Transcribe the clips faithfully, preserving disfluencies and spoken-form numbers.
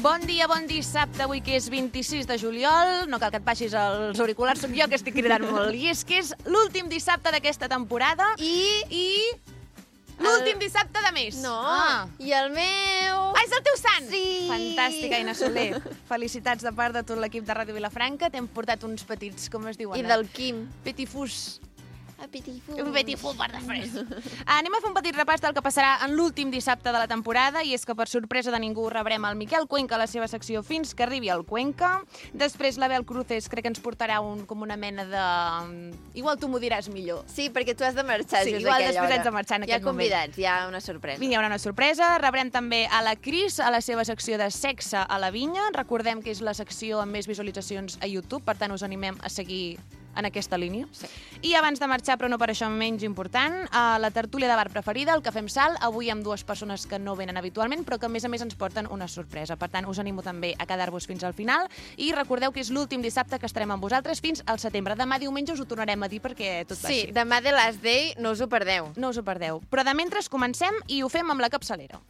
Bon dia, bon dissabte, avui que és vint-i-sis de juliol. No cal que et baixis els auriculars, soc jo que estic cridant molt. I és que és l'últim dissabte d'aquesta temporada I... i l'últim el... dissabte de mes. No, ah. I el meu... Ah, és el teu sant! Sí! Fantàstica, Aina Soler. Felicitats de part de tot l'equip de Ràdio Vilafranca. T'hem portat uns petits, com es diuen? I del Quim. Petifús. Petifús. Un petifús per de fres. Anem a fer un petit repàs del que passarà en l'últim dissabte de la temporada, i és que per sorpresa de ningú rebrem el Miquel Cuenca a la seva secció fins que arribi el Cuenca. Després l'Abel Cruces crec que ens portarà un, com una mena de... Igual tu m'ho diràs millor. Sí, perquè tu has de marxar sí, just igual aquella després hora. haig de marxar en hi aquest moment. Hi ha convidats, hi ha una sorpresa. Vinga, hi haurà una sorpresa. Rebrem també a la Cris a la seva secció de Sexe a la Vinya. Recordem que és la secció amb més visualitzacions a YouTube, per tant us animem a seguir en aquesta línia. Sí. I abans de marxar, però no per això menys important, a la tertúlia de bar preferida, el Cafè amb Sal, avui amb dues persones que no venen habitualment, però que a més a més ens porten una sorpresa. Per tant, us animo també a quedar-vos fins al final i recordeu que és l'últim dissabte que estarem amb vosaltres fins al setembre. Demà diumenge us ho tornarem a dir perquè tot va Sí, així. demà The Last Day, no us ho perdeu. No us ho perdeu. Però de mentre comencem i ho fem amb la capçalera.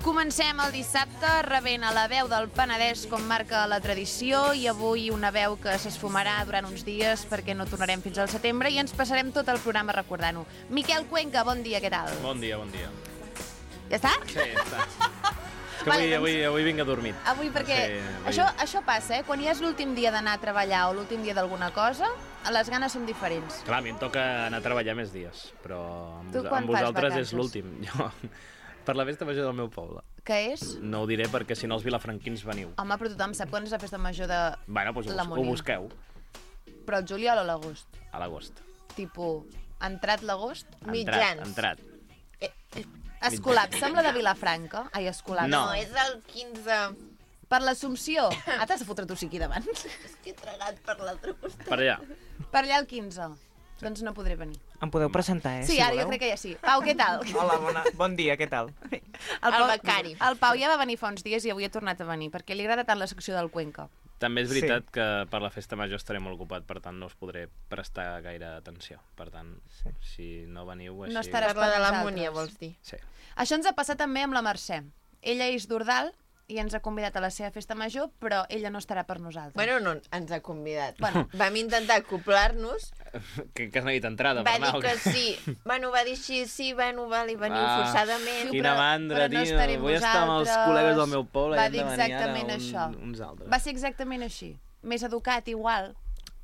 Comencem el dissabte rebent a la veu del Penedès com marca la tradició, i avui una veu que s'esfumarà durant uns dies perquè no tornarem fins al setembre i ens passarem tot el programa recordant-ho. Miquel Cuenca, bon dia, què tal? Bon dia, bon dia. Ja està? Sí, ja està. És que Vale, avui, doncs- avui, avui vinc adormit. Avui perquè Sí, avui- això, això passa, eh? Quan ja és l'últim dia d'anar a treballar o l'últim dia d'alguna cosa, les ganes són diferents. Clar, a mi em toca anar a treballar més dies, però amb, Tu vos- quan amb fas vosaltres vacances? és l'últim. Jo, per la festa major del meu poble. Què és? No ho diré perquè si no els vilafranquins veniu. Home, però tothom sap quan és la festa major de Bueno, doncs la ho, ho Múnia. busqueu Però el juliol o l'agost? a l'agost. Tipo, entrat l'agost? Mitjans. Entrat, entrat. Eh, eh, Escolap, sembla de Vilafranca? Ai, Escolap. No. No, és el quinze. Per l'Assumpció. Ah, t'has de fotre tu sí aquí davant. És que he tragat per l'altre costat. Per allà. Per allà el quinze. Doncs no podré venir. Em podeu presentar, eh? Sí, si ara jo voleu. crec que ja sí. Pau, què tal? Hola, bona... bon dia, què tal? El, El becari. El Pau ja va venir fa uns dies i avui ha tornat a venir, perquè li agrada tant la secció del Cuenca. També és Sí. veritat que per la festa major estaré molt ocupat, per tant no us podré prestar gaire atenció. Per tant, Sí. si no veniu així... No estaràs Per la de la nosaltres. Múnia, vols dir? Sí. Això ens ha passat també amb la Mercè. Ella és d'Ordal i ens ha convidat a la seva festa major, però ella no estarà per nosaltres. Bueno, no, ens ha convidat. Bueno. Vam intentar acoplar-nos, Que, que has neguit entrada va per anar. dir o que què? sí. Bueno, va dir així, sí, bueno, vale, veniu Ah. forçadament. Quina però- mandra, però no tio. estarem Vull estar amb els vosaltres. col·legues del meu poble Va i hem dir de venir ara exactament un, això. uns altres. Va ser exactament així. Més educat, igual.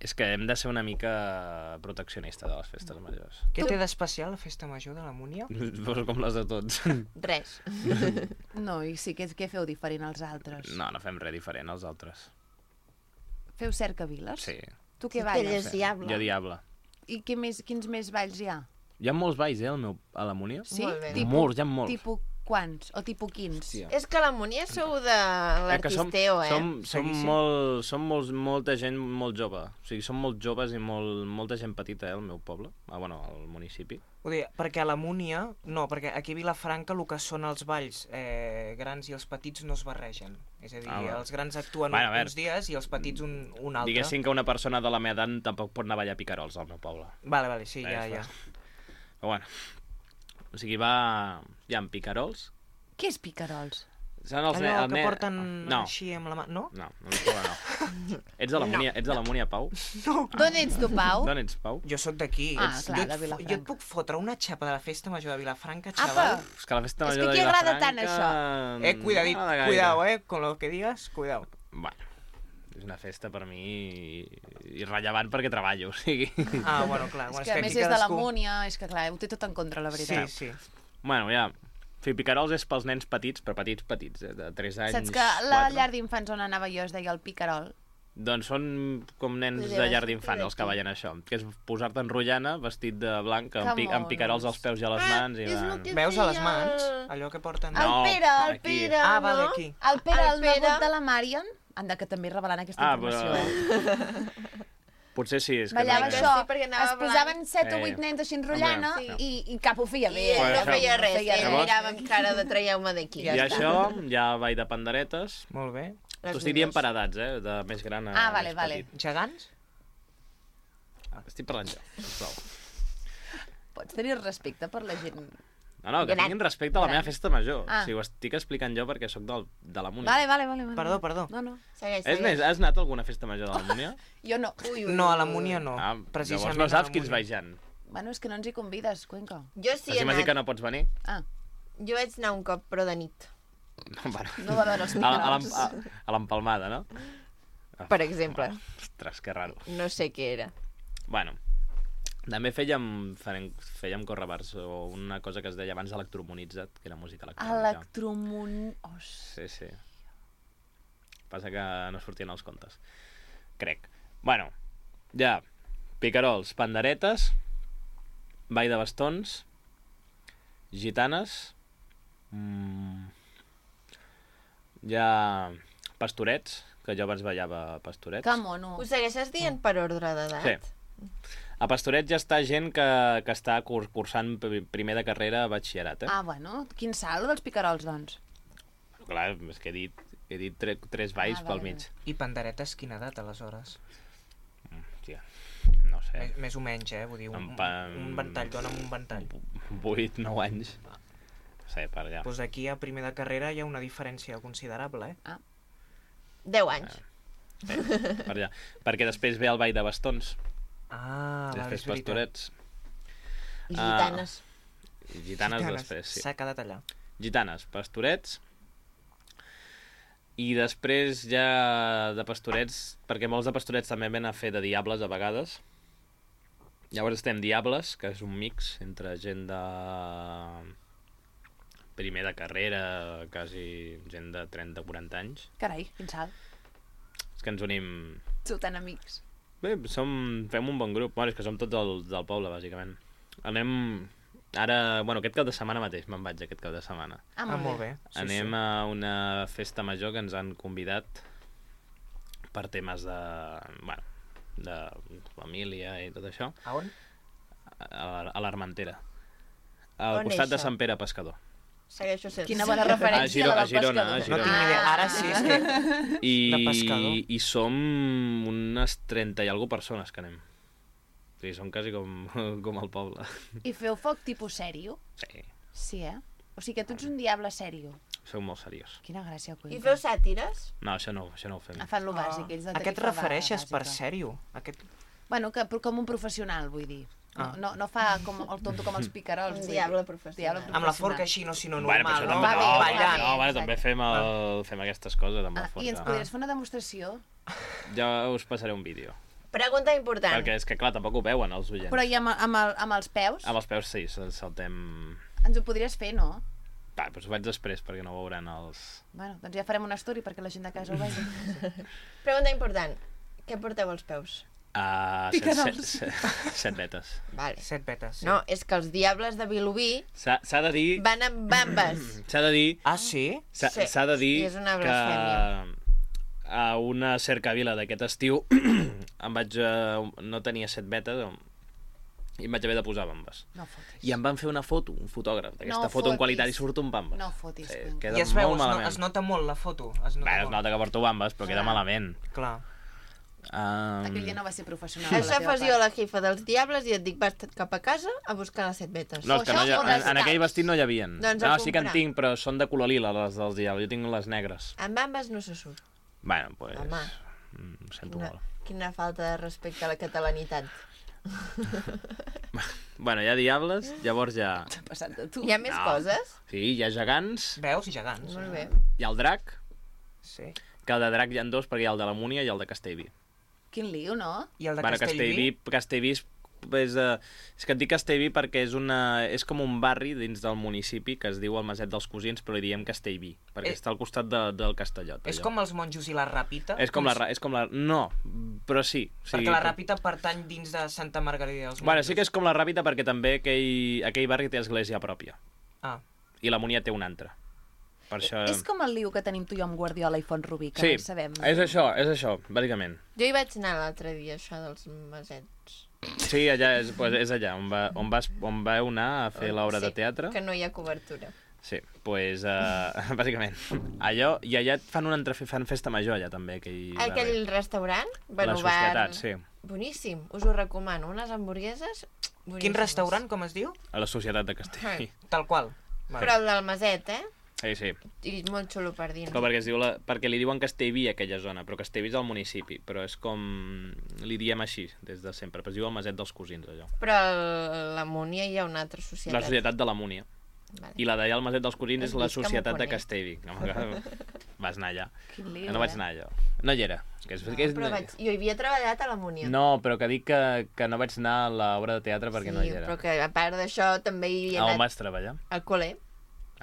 És que hem de ser una mica proteccionista de les festes majors. Què té d'especial la festa major de la Múnia? Pues com les de tots. Res. No, i sí, què, què feu diferent als altres? No, no fem res diferent als altres. Feu cercaviles? Sí. Tu què Ell balles? és diable. Jo diable. I què més, quins més balls hi ha? Hi ha molts balls, eh, al meu, a la Múnia? Sí? Molt bé. Tipus- Molts, hi ha molts. Tipus quants? O tipus quins? Hòstia. És que a la Múnia sou de Eh, que som, l'artisteo, eh? som, som, Seguíssim. molt, som molts, molta gent molt jove. O sigui, som molt joves i molt, molta gent petita, eh, al meu poble. Ah, bueno, al municipi. Ho dir, perquè a la Múnia... No, perquè aquí a Vilafranca el que són els balls eh, grans i els petits no es barregen. És a dir, Ah, ah, bueno. els grans actuen Bueno, a un, veure. uns dies i els petits un, un altre. Diguéssim que una persona de la meva edat tampoc pot anar a ballar picarols al meu poble. Vale, vale, sí, Eh, ja, és ja. Però bueno, o sigui, va... Hi ha picarols. Què és picarols? Són els Allò ne- el que ne- porten no. així amb la mà... No? No, no, no. Ets de la Múnia, ets de la Múnia, Pau? No. D'on ets tu, Pau? D'on ets, Pau? Jo sóc d'aquí. Ah, Ets- clar, jo, et de fo- Vilafranca. jo et puc fotre una xapa de la festa major de Vilafranca, Apa! xaval. És que la festa És major que de qui agrada Vilafranca... tant, això? Eh, cuidadit, no de gaire. cuidao, eh, con lo que digas, cuidao. Bueno, és una festa per mi irrellevant perquè treballo, o sigui... Ah, bueno, clar. És Bueno, que a aquí més és de la cadascú- Múnia, és que clar, ho té tot en contra, la Sí, veritat. sí. Bueno, ja... O sigui, picarols és pels nens petits, però petits, petits, eh, de tres anys... Saps que la quatre. llar d'infants on anava jo es deia el Picarol? Doncs són com nens Podria de llar haver d'infant sortit els que d'aquí. ballen això, que és posar-te en rotllana vestit de blanc, amb, Que pi amb picarols monos. als peus i a les mans. I és el van... que- Veus a les feia mans? el- Allò que porten... El No, Pere, el aquí. Pere, Ah, no? vale, aquí. El Pere, el, El Pere. nebot de la Marion, anda, que també revelant aquesta Ah, informació, però- eh? Potser sí, és que Ballava no... Sí, això, perquè anava es posaven set o Sí. vuit nens així enrotllant Sí. i, i cap ho feia I bé. ell Bueno, no això- feia res, feia ell res. mirava amb cara de traieu-me d'aquí. Ja I està. això, ja ball de panderetes. Molt bé. Les T'ho estic dient millors. per edats, eh? De més gran a Ah, vale, més vale. petit. Gegants? Estic parlant jo, sisplau. Pots tenir respecte per la gent. No, no, que Gran. tinguin respecte a la meva festa major. Ah. O sigui, ho estic explicant jo perquè sóc del, de la Múnia. Vale, vale, vale. vale. Perdó, perdó. No, no. Segueix, És segueix. més, has anat a alguna festa major de la Múnia? Jo no. Ui, ui, No, a la ui. Múnia no. Ah, Precisament llavors no a la saps quins Múnia. vegejant. Bueno, és que no ens hi convides, Cuenca. Jo sí Sí, he m'has dit anat. que no pots venir? Ah, Jo vaig anar un cop, però de nit. No, bueno. no va veure els A, a l'em- picarols. a, a l'empalmada, no? Per exemple. Ostres, que raro. No sé què era. Bueno, també fèiem, fèiem, fèiem correbars o una cosa que es deia abans electromonitzat, que era música electrònica. Electromun... Oh, Sí, sí. Passa que no sortien els contes. Crec. Bueno, ja. Picarols, panderetes, ball de bastons, gitanes, mm, ja pastorets, que jo abans ballava pastorets. que mono. Ho segueixes dient per ordre d'edat? Sí. A pastorets ja està gent que, que està cur cursant p- primer de carrera a batxillerat, eh? Ah, bueno, quin salt dels picarols, doncs. Clar, és que he dit, he dit tre tres balls Ah, pel vale, mig. I panderetes, quina edat, aleshores? Mm, Hòstia, no sé. Més, més o menys, eh? Vull dir, un, En pa- un ventall, dona'm un ventall. vuit, nou anys. No sé, per allà. Doncs aquí a primer de carrera hi ha una diferència considerable, eh? deu anys. Sí, per allà. Perquè després ve el ball de bastons, Ah, vale, després és veritat. pastorets, I Ah. gitanes. i gitanes, després, sí. S'ha quedat allà. Gitanes, pastorets, i després ja de pastorets, perquè molts de pastorets també ven a fer de diables a vegades. Llavors estem diables, que és un mix entre gent de primer de carrera, quasi gent de trenta o quaranta anys. Carai, quin salt. És que ens unim... Sou tan amics. Bé, som, fem un bon grup. Bueno, és que som tots del, del poble, bàsicament. Anem... Ara, bueno, aquest cap de setmana mateix me'n vaig, aquest cap de setmana. Ah, Ah, molt, molt bé. bé. Sí, Anem sí. a una festa major que ens han convidat per temes de... Bueno, de família i tot això, A on? a, la- a l'Armentera. Al On és costat de això? Sant Pere Pescador. Segueixo sense. Quina bona A referència, Giro- la a del Girona, pescador. a No Girona. tinc ni idea. Ara sí, és que... I, De pescador. I som unes trenta i alguna persones que anem. O sigui, som quasi com, com el poble. I feu foc tipus sèrio? Sí, Sí, eh? O sigui que tu ets un diable sèrio. sou molt seriós. Quina gràcia, Cuenca. I feu sàtires? No, això no, això no ho fem. Ah, fan lo bàsic, ells de A què et tarifa refereixes per bàsica. sèrio? Aquest... Bueno, que, però com un professional, vull dir. No, Ah. no, no fa com el tonto com els picarols. Un vull dir. diable professional. Diable Amb la professional. forca així, no sinó Bueno, però normal, això no? també, Va no, bé, no, va ballant. no, bueno, exacte. també fem, el, fem aquestes coses amb la Ah, I ens forca. podries fer una demostració? Ja us passaré un vídeo. Pregunta important. Perquè és que, clar, tampoc ho veuen els oients. Però i amb, amb, el, amb els peus? Amb els peus sí, sal- saltem... Ens ho podries fer, no? Va, doncs ho faig després perquè no ho veuran els... Bueno, doncs ja farem una story perquè la gent de casa ho vegi. Pregunta important. Què porteu als peus? Uh, set, set, Picarols. set, set vetes. Vale. Set vetes, sí. No, és que els diables de Vilobí S'ha s'ha de dir... van amb bambes. S'ha de dir... Ah, sí? S'ha Sí, s'ha de dir i és una que blasfèmia. a una cercavila d'aquest estiu em vaig... Uh, no tenia set vetes i em vaig haver de posar bambes. No fotis. I em van fer una foto, un fotògraf, d'aquesta No foto en fotis. qualitat i surt un bambes. No fotis, Sí, Cuenca. queda I es veu, molt es, no, malament. es nota molt la foto. Es nota Bé, es molt. nota que porto bambes, però queda Clar. malament. Clar. Um, Aquell dia no va ser professional. Això fas jo a la jifa dels diables i et dic vas cap a casa a buscar les set vetes. No, és que no hi ha, O en, les en aquell caps. vestit no hi havia. Doncs a no, sí que en comprar. tinc, però són de color lila, les dels diables. Jo tinc les negres. Amb bambes no se surt. Bueno, pues... Home. mm, Ho sento Quina, molt. quina falta de respecte a la catalanitat. Bueno, hi ha diables, llavors hi ha... T'ha passat de tu. Hi ha més No. coses? Sí, hi ha gegants, Veus? Gegants. Molt bé. hi ha el drac, Sí. que el de drac hi ha dos, perquè hi ha el de la Múnia i el de Castellví. Quin lío, no? I el de Bueno, Castellví? Castellví, Castellví és és, uh, és que et dic Castellví perquè és, una, és com un barri dins del municipi que es diu el Maset dels Cosins, però li diem Castellví, perquè Eh, està al costat de, del Castellot. És allò. com els monjos i la Ràpita? És com, la, ra- és com la... No, però sí. sí Perquè la Ràpita pertany dins de Santa Margarida dels Monjos. Bueno, sí que és com la Ràpita perquè també aquell, aquell barri té església pròpia. Ah. I la Múnia té una altra. Per això... És com el liu que tenim tu i jo amb Guardiola i Font-rubí, que Sí, no sabem. és això, és això, bàsicament. Jo hi vaig anar l'altre dia, això dels masets. Sí, allà és, pues, és allà on, va, on, vas, on vau anar a fer l'obra Sí, de teatre. que no hi ha cobertura. Sí, doncs, pues, uh, bàsicament, allò, i allà et fan una entref fan festa major allà també, aquell Aquell barri. restaurant, La bueno, Societat, bar... sí. Boníssim, us ho recomano. Unes hamburgueses boníssimes. Quin restaurant, com es diu? A la Societat de Castellví. Tal qual. Vale. Però el del Maset, eh? Sí, sí. I molt xulo per dins. Però perquè, es diu la, perquè li diuen Castellví a aquella zona, però Castellví és el municipi, però és com... Li diem així, des de sempre, però es diu el Maset dels Cosins, allò. Però a la Múnia hi ha una altra societat. La Societat de la Múnia. Vale. I la d'allà al Maset dels Cosins és Has la vist que m'ho Societat de conec. Castellví. Vas anar allà. Quin liu, No vaig eh? anar allò. No hi era. Que és, que és... Però vaig... Jo hi havia treballat a la Múnia. No, però que dic que, que no vaig anar a l'obra de teatre perquè sí, no hi era. però que a part d'això també hi he A on anat vaig treballar? al col·le.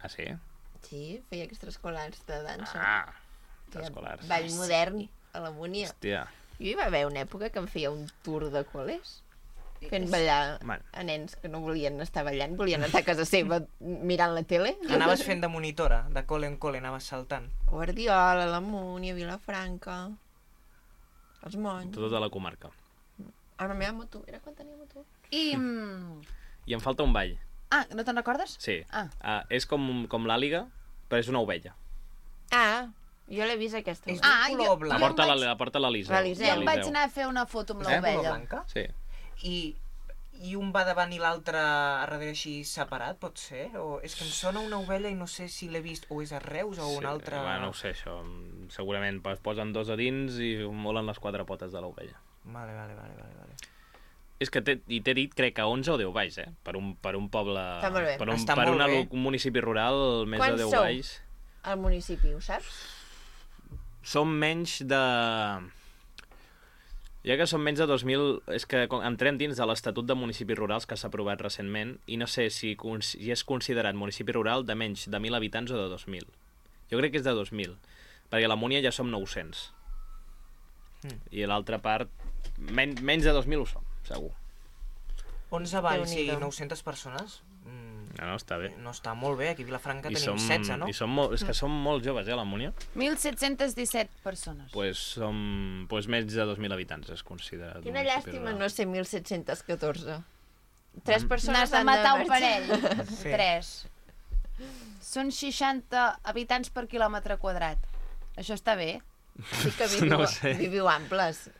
Ah, sí? Sí, feia extraescolars de dansa. Ah, Feia escolars. Ball modern a la Múnia. Hòstia. Jo hi va haver una època que em feia un tour de col·les fent ballar Bueno. a nens que no volien estar ballant, volien estar a casa seva mirant la tele. Anaves fent de monitora, de col·le en col·le, anaves saltant. Guardiola, la Múnia, Vilafranca, els Monys. Tota la comarca. A la meva moto, era quan tenia moto. I... mm, I em falta un ball. Ah, no te'n recordes? Sí. Ah. Ah, és com, com l'àliga, però és una ovella. Ah, jo l'he vist aquesta. És Ah, d'un jo- color La blanc. porta, em la, vaig- la porta l'Eliseu. L'Eliseu. Ja em vaig L'Eliseu. anar a fer una foto amb Eh, color l'ovella. blanca? Sí. I, I un va davant i l'altre a darrere així separat, pot ser? O és que em sona una ovella i no sé si l'he vist, o és a Reus o un altre... Bueno, no ho sé, això. Segurament es posen dos a dins i molen les quatre potes de l'ovella. Vale, vale, vale, vale. vale. És que t'he- i t'he dit, crec que onze o deu valls, eh? Per un, per un poble... Està molt bé. Per un, Està per molt una, bé. un municipi rural, més Quants de deu sou? valls. Al municipi, ho saps? Som menys de... Ja que som menys de dos mil... És que com- entrem dins de l'Estatut de Municipis Rurals que s'ha aprovat recentment i no sé si, cons- si és considerat municipi rural de menys de mil habitants o de dos mil. Jo crec que és de dos mil, perquè a la Múnia ja som nou-cents. Mm. I l'altra part... Men menys de dos mil ho som, segur. onze valls i Déu-n'hi-do. nou-centes persones? Mm, No, no, està bé. no està molt bé, aquí a Vilafranca I tenim som, setze, no? I som molt, és que som molt joves, eh, a la Múnia. mil set-cents disset persones. Pues som pues, menys de dos mil habitants, es considera. Quina municipi llàstima rural. no ser mil set-cents catorze. Tres Mm. persones N'has de han matar un marxar. parell. Sí. Tres. Són seixanta habitants per quilòmetre quadrat. Això està bé. Sí que viviu, No ho sé. viviu amples.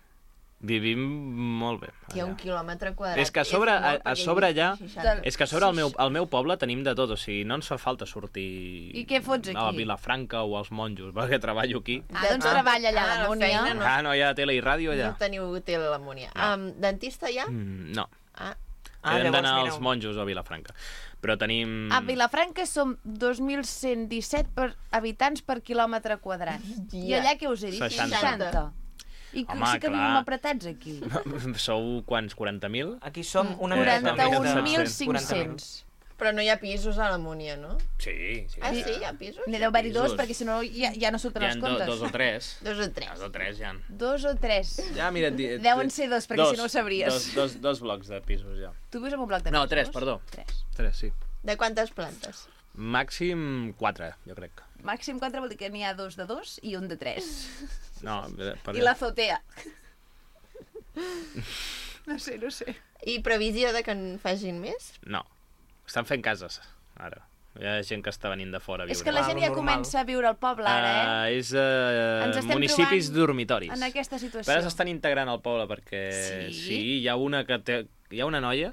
Vivim molt bé. Hi ha un allà. quilòmetre quadrat. És que a sobre- molt, a- a perquè sobre hi ha allà- seixanta. És que a sobre al meu, al meu poble tenim de tot, o sigui, no ens fa falta sortir I què fots a la aquí? Vilafranca o als monjos, perquè treballo aquí. Ah, doncs Ah, treballa allà a ah, la la Múnia. feina no. Ah, no hi ha tele i ràdio allà? No teniu tele a la Múnia. No. Um, dentista ja? Mm, no, Ah, Ah, hem llavors, d'anar mira, als monjos o a Vilafranca. Però tenim... A Vilafranca som dos mil cent disset per habitants per quilòmetre quadrat. I Ja. allà què us he dit? seixanta. seixanta. I que Home, sí que clar. vivim apretats aquí. Sou quants? quaranta mil? Aquí som una quaranta-un mil quaranta cinc-cents. però no hi ha pisos a la Múnia, no? Sí, sí. Ah, sí, hi ha pisos? N'hi deu haver-hi dos, Pisos. perquè si no ja, ja no surten Hi ha els do, comptes. dos o tres. Dos o tres. Dos o tres, ja. Dos o tres. Ja, mira... Di, Deuen ser dos, perquè si no ho sabries. Dos, dos, dos blocs de pisos, ja. Tu vius en un bloc de No, pisos? tres, perdó. Tres. Tres, sí. De quantes plantes? Màxim quatre, jo crec. Màxim quatre vol dir que n'hi ha dos de dos i un de tres. No, per... I l'azotea. No sé, no sé. I previsió de que en facin més? No. Estan fent cases, ara. Hi ha gent que està venint de fora a viure. És que la Ah, gent lo ja normal. comença a viure al poble, ara, eh? Uh, és uh, Ens estem municipis trobant dormitoris. En aquesta situació. Però ara s'estan integrant al poble perquè Sí? sí, hi ha una que té, hi ha una noia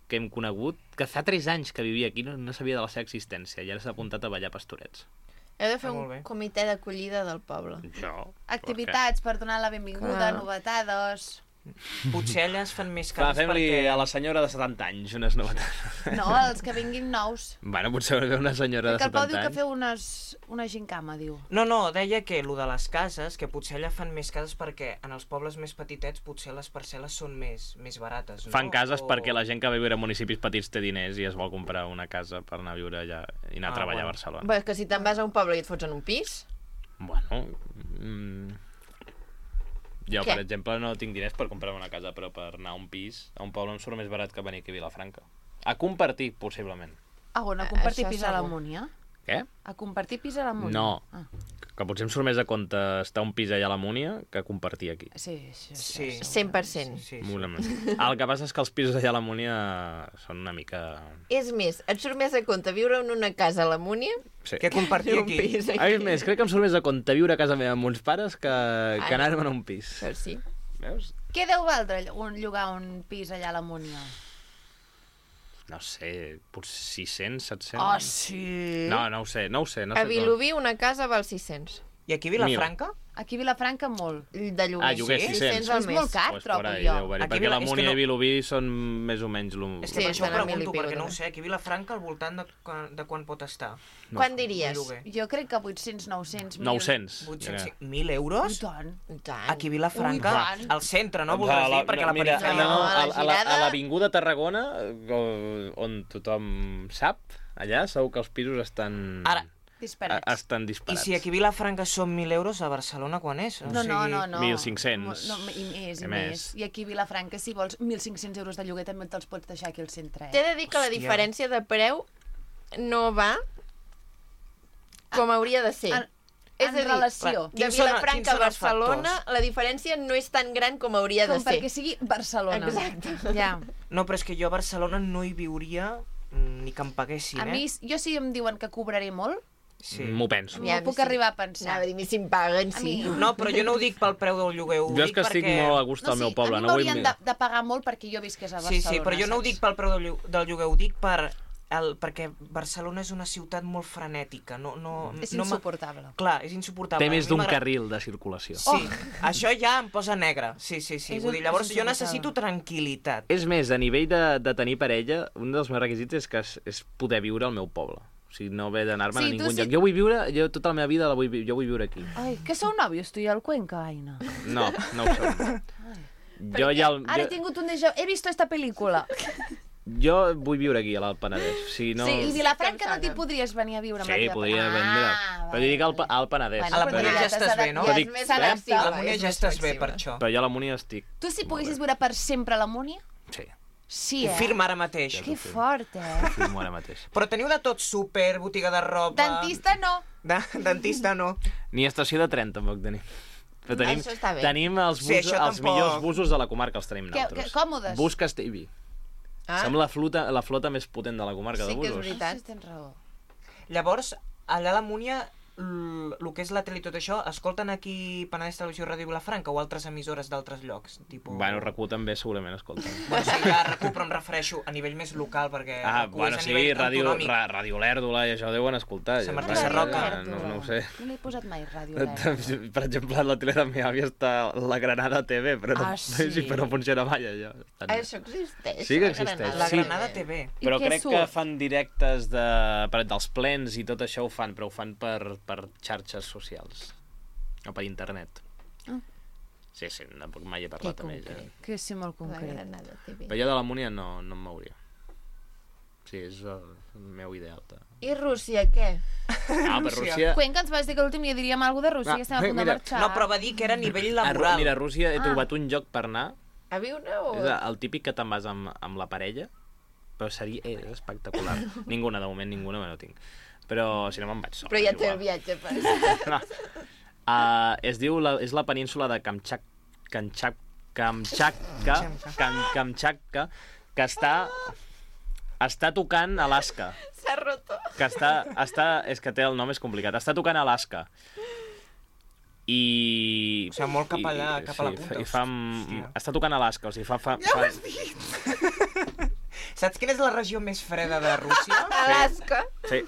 que hem conegut que fa tres anys que vivia aquí, no, no sabia de la seva existència i ara s'ha apuntat a ballar pastorets. Heu de fer Ah, molt un bé. comitè d'acollida del poble. Jo? Activitats per donar la benvinguda, Clar. novetades... Potser allà es fan més Va, cases fem-li perquè... a la senyora de setanta anys unes novetats. No, els que vinguin nous. Bueno, potser ve una senyora de Que el Pau setanta diu que anys. feu unes, una gincama, diu. No, no, deia que lo de les cases, que potser allà fan més cases perquè en els pobles més petitets potser les parcel·les són més, més barates, no? Fan cases O... perquè la gent que va viure a municipis petits té diners i es vol comprar una casa per anar a viure allà i anar a Ah, treballar bueno. a Barcelona. Bé, que si te'n vas a un poble i et fots en un pis... Bueno... Mm, jo, Què? per exemple, no tinc diners per comprar una casa, però per anar a un pis, a un poble em surt més barat que venir aquí a Vilafranca. A compartir, possiblement. Ah, on, a compartir Això pis a la segur. Múnia? Què? A compartir pis a la Múnia? No. Ah, Que potser em surt més a compte estar a un pis allà a la Múnia que compartir aquí. sí, sí, sí. Sí. cent per cent. Sí, sí. Segurament. El que passa és que els pisos allà a la Múnia són una mica... És més, et surt més a compte viure en una casa a la Múnia Sí. Que compartir que un aquí. pis A aquí. més, crec que em surt més a compte viure a casa meva amb uns pares que, que Ai. anar-me'n a un pis. Però sí. Veus? Què deu valdre un, llogar un pis allà a la Múnia? No sé, potser sis-cents, set-cents... Oh, sí! No, no ho sé, no ho sé. No A sé Vilobí una casa val sis-cents. I aquí a Vilafranca? Aquí a Vilafranca molt. De lloguer. Ah, lloguer Sí? sis-cents. al És mes. molt car, Pues trobo por ahí jo. deu haver-hi, Aquí perquè Vila- la és que Múnia no- i Vilobí són més o menys... Lo... És que Sí, per això ho estan a mil i pregunto, pico perquè no ho també. sé. Aquí a Vilafranca al voltant de, quan- de quan pot estar? No. Quan diries? Lloguer. Jo crec que vuit-cents, nou-cents, mil. nou-cents. vuit-cents, Ja. mil I euros? tant. I tant. Aquí a Vilafranca? Ui, tant. Al centre, no? Doncs Voldràs a la- dir? Perquè a la mira, perifèria... no, a la a, a la- Girada- a l'Avinguda Tarragona, o- on tothom sap, allà segur que els pisos estan... Ara, Disparats. a- estan I disparats. si aquí a Vilafranca són mil euros, a Barcelona quan és? O No, no, sigui, no, no. mil cinc-cents. No, i més, I i més. més. I aquí a Vilafranca, si vols mil cinc-cents euros de lloguer, també te'ls pots deixar aquí al centre. T'he Eh? de dir que la Hòstia. diferència de preu no va com hauria de ser. En, És en a dir, relació. de Quins són- Vilafranca quins a són els Barcelona, factors? la diferència no és tan gran com hauria Com de ser. perquè sigui Barcelona. Exacte. Ja. No, però és que jo a Barcelona no hi viuria mm, ni que em paguessin, A eh? mi, jo si em diuen que cobraré molt, Sí. M'ho penso. m'ho puc arribar a pensar. Anava a dir, a mi si em paguen, A sí. mi- No, però jo no ho dic pel preu del lloguer, ho Jo és dic que estic perquè... molt a gust al meu poble. a mi No vull... m'haurien de, de pagar molt perquè jo visqués a Sí, Barcelona. sí, però jo no ho saps? dic pel preu del, llo- del lloguer, ho dic per el, perquè Barcelona és una ciutat molt frenètica. No, no, És no m'ha- insuportable. Clar, és insuportable. Té més A mi d'un m'agrada- carril de circulació. Sí, això ja em posa negre. Sí, sí, sí. És Vull un- dir, llavors és jo insuportable. necessito tranquil·litat. És més, a nivell de, de tenir parella, un dels meus requisits és que és, és poder viure al meu poble. O sigui, no haver d'anar-me'n Sí, a tu ningú sí- lloc. Jo vull viure, jo tota la meva vida la vull, vi- jo vull viure aquí. Ai, que sou nòvios, tu i el Cuenca, Aina? No, no ho som. Jo ja... El, Ara he jo, tingut un déjà... He visto esta pel·lícula. jo vull viure aquí, a l'Alt Penedès. O sigui, no... Sí, i Vilafranca no cansada. t'hi podries venir a viure amb la Sí, teva podria parella. vendre. Ah, Però jo dic al, Pa- al Penedès. Bueno, A la però Múnia ja ja t'has estàs bé, adap- no? ja Dic, és més eh? flexible, A la Múnia és ja més estàs bé per flexible. això. Però jo a la Múnia estic... Tu si molt poguessis bé. viure per sempre a la Múnia? Sí, Sí, Ho eh? firma ara mateix. Que fort, eh? firmo ara mateix. Però teniu de tot, súper, botiga de roba... Dentista no. De, dentista no. Ni estació de tren tampoc tenim. Però tenim, Això està bé. tenim els, Sí, busos, això els tampoc. millors busos de la comarca, els tenim Que- nosaltres. que còmodes. Bus Castellví. Ah, Som la flota, la flota més potent de la comarca Sí de que és busos. veritat. Sí, tens raó. Llavors, allà a la Múnia, el que és la tele i tot això, escolten aquí Penedès Televisió i Ràdio Vilafranca o altres emissores d'altres llocs? Tipo... Bueno, R Q també segurament escolten. Bueno, sí, ja R Q, però em refereixo a nivell més local, perquè Ah, R Q bueno, és a sí, nivell Ràdio, autonòmic. ra, Ràdio Lèrdula i això deuen escoltar. Sant ja. Martí Ja, Sarroca. ja, No, no ho sé. No l'he posat mai, Ràdio Lèrdula. Per exemple, a la tele de la meva àvia està la Granada T V, però no, Ah, sí? sí, però no funciona mai allò. Estan- Això existeix. Sí que la existeix. Granada. La Sí. Granada T V. I Però què crec surt? que fan directes de, per, dels plens i tot això ho fan, però ho fan per, per xarxes socials. O per internet. Ah. Sí, sí, tampoc mai he Que parlat amb ella. concret. Que sí, molt La concret. Granada T V. Però jo de la Múnia no, no em mouria. Sí, és el, el meu ideal. De... I Rússia, què? Ah, per Rússia. Rússia... Cuenca ens vas dir que l'últim dia diríem alguna cosa de Rússia, Ah, que estem a punt de mira. marxar. No, però va dir que era a nivell A Ru- laboral. Mira, a Rússia he Ah. trobat un lloc per anar. A viure o...? És el típic que te'n vas amb, amb la parella, però seria és espectacular. Ninguna, de moment, ninguna, me no tinc. Però si no me'n vaig sol. Però ja és té el igual. viatge per... No. Uh, es diu, la, és la península de Kamchak, Kamchak, Kamchatka, Kam, Kamchatka, que està, està tocant Alaska. S'ha roto. Que està, està, és que té el nom és complicat, està tocant Alaska. I... O sigui, molt cap allà, i- cap a la sí, punta. I fa, Hòstia. està tocant Alaska, o sigui, fa... fa, Ja fa ho has dit! Saps quina és la regió més freda de Rússia? Alaska. sí,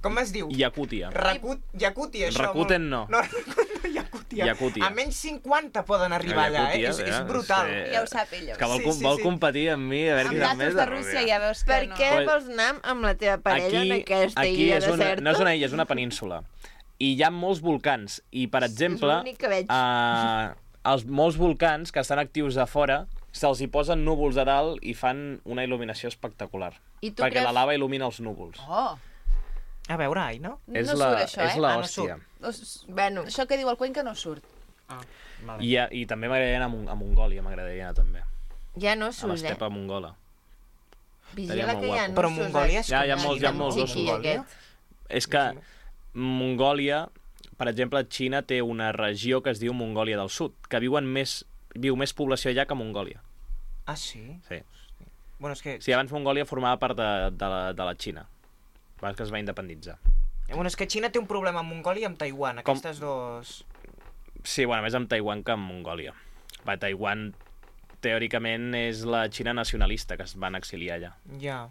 Com es diu? Yakútia. Rakut, Yakutia, això. Rakuten molt- no. No, Rakuten no, Yakutia. Hòstia, Yakutia. a menys cinquanta poden arribar allà, eh? Yakutia, És, és eh? brutal. Sí. Ja ho sap ella. És que vol, Sí, com, sí, vol sí. competir amb mi, a veure Amb qui sap gatos més de de Rússia Rússia. ja veus que Per no. què Pues- vols anar amb la teva parella en aquesta aquí illa és una, deserta? no és una illa, és una península. I hi ha molts volcans. I, per exemple, l'únic que veig. eh, els molts volcans que estan actius a fora se'ls hi posen núvols a dalt i fan una il·luminació espectacular. I tu perquè creus- la lava il·lumina els núvols. Oh, A veure, ai, no? és no la, surt això, és eh? la Ah, no hòstia. Os- Bueno, Això que diu el Cuenca no surt. Ah, vale. I, I també m'agradaria anar a, Mon a Mongòlia, m'agradaria anar també. ja no A surt, eh? l'estepa mongola. Vigila molt que hi ha guapo. Però nussos, Mongòlia eh? és Ja, com hi ha molts- hi ha Xina, molts no? ossos. Chiqui, aquest. És que Mongòlia, per exemple, Xina té una regió que es diu Mongòlia del Sud, que viuen més, viu més població allà que Mongòlia. Ah, sí? Sí. Bueno, és que... Sí, abans Mongòlia formava part de, de, la, de la Xina, abans que es va independitzar. Bueno, és que Xina té un problema amb Mongòlia i amb Taiwan, Com- aquestes dos... Sí, bueno, més amb Taiwan que amb Mongòlia. Va, Taiwan, teòricament, és la Xina nacionalista, que es van exiliar allà. Ja.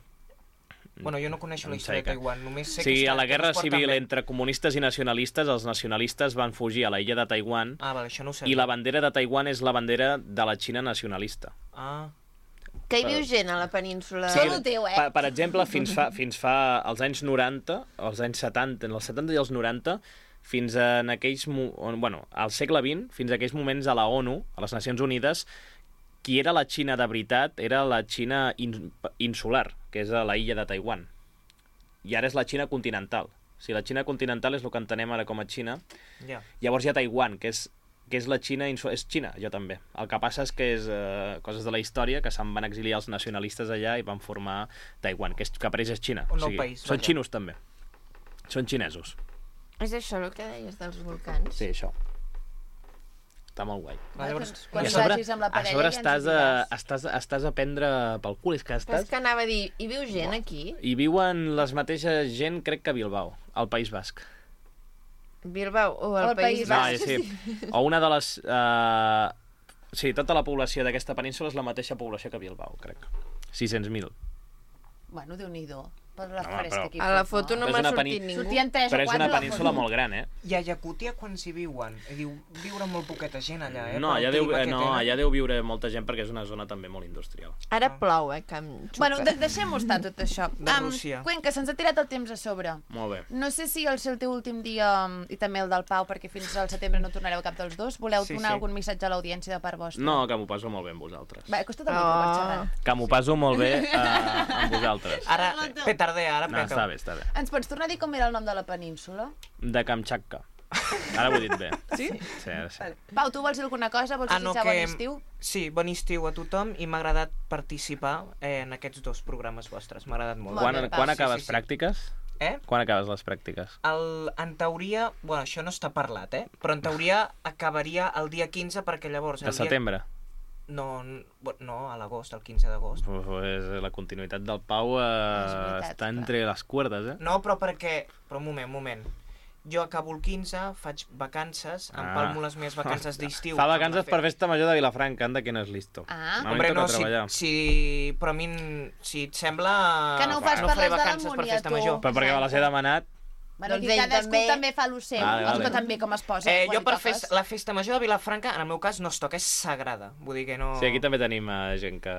Bueno, jo no coneixo la Em història de saica. Taiwan, només sé Sí, que està, a la que guerra no es porten civil bé. entre comunistes i nacionalistes, els nacionalistes van fugir a la illa de Taiwan Ah, vale, això no ho sabia. i la bandera de Taiwan és la bandera de la Xina nacionalista. Ah, Que hi viu gent a la península? Sí. Tot ho teu, eh? Per, per exemple, fins fa, fins fa als anys noranta, als anys setanta, en els setanta i els noranta, fins en aquells... mo- on- Bueno, al segle vint, fins a aquells moments a la ONU, a les Nacions Unides, qui era la Xina de veritat era la Xina in, insular, que és a la illa de Taiwan. I ara és la Xina continental. Si la Xina continental és el que entenem ara com a Xina, ja. llavors hi ha Taiwan, que és, que és la Xina insular. És Xina, jo també. El que passa és que és eh, coses de la història, que se'n van exiliar els nacionalistes allà i van formar Taiwan, que, és, que apareix és Xina. Un nou país, Són vaja. xinos també. Són xinesos. És això el que deies dels volcans? Sí, això. Està molt guai. Va, llavors, Quan I a sobre, vagis amb la a parella sobre ja ens estàs, ho a, diràs. estàs, estàs a prendre pel cul. És que Però estàs... és que anava a dir, hi viu gent aquí? I viuen les mateixes gent, crec que a Bilbao, al País Basc. Bilbao o el, El País País No, Basc? sí. O una de les... Uh... Sí, tota la població d'aquesta península és la mateixa població que Bilbao, crec. sis-cents mil. Bueno, Déu-n'hi-do. Per la Home, fresca però- aquí. A la foto no Però és m'ha una sortit peni- ningú. Sortien tres Però o és quatre una a la península foto. molt gran, eh? I a Yakutia quan s'hi viuen? I diu, viure molt poqueta gent allà, eh? No, Pel allà deu, clima que no, tenen. allà deu viure molta gent perquè és una zona també molt industrial. Ara plou, eh, que em xupa. Bueno, de deixem-ho estar, tot això. De Am, Rússia. Cuenca, se'ns ha tirat el temps a sobre. Molt bé. No sé si el seu teu últim dia, i també el del Pau, perquè fins al setembre no tornareu cap dels dos, voleu Sí, donar sí. algun missatge a l'audiència de part vostra? No, que m'ho passo molt bé amb vosaltres. Va, acosta't el micro per Oh. xerrar. Que m'ho passo molt bé uh, amb vosaltres. Ara, petardea, ara No, peta. està bé, està bé. Ens pots tornar a dir com era el nom de la península? De Kamchatka. Ara ho he dit bé. Sí? Sí, ara sí. Pau, tu vols dir alguna cosa? Vols Ah, no, desitjar que... bon estiu? Sí, bon estiu a tothom i m'ha agradat participar eh, en aquests dos programes vostres. M'ha agradat molt. Molt Quan, bé, Pau. quan Sí, acabes sí, sí. pràctiques? Eh? Quan acabes les pràctiques? El, en teoria, bueno, això no està parlat, eh? Però en teoria acabaria el dia quinze perquè llavors... De el setembre? Dia... No, n- no, a l'agost, el quinze d'agost. Pues la continuïtat del Pau eh, És veritat, està clar. entre les cuerdes, eh? No, però perquè... Però un moment, un moment. Jo acabo el quinze, faig vacances, Ah. empalmo les meves vacances d'estiu. Fa amb la vacances fe- per festa major de Vilafranca, anda que no és listo. Ah. A mi em Hombre, toca no, si, treballar. si... Però a mi, n- si et sembla... Que no ho fas no per faré les de vacances per l'Harmonia, festa tu. major. Però perquè me les he demanat. Bueno, Doncs aquí ell cadascú també. també fa el seu. Vale, vale. Escolta, també com es posa. Eh, quan jo li per toques. festa, la festa major de Vilafranca, en el meu cas, no es toca, és sagrada. Vull dir que no... Sí, aquí també tenim eh, gent que,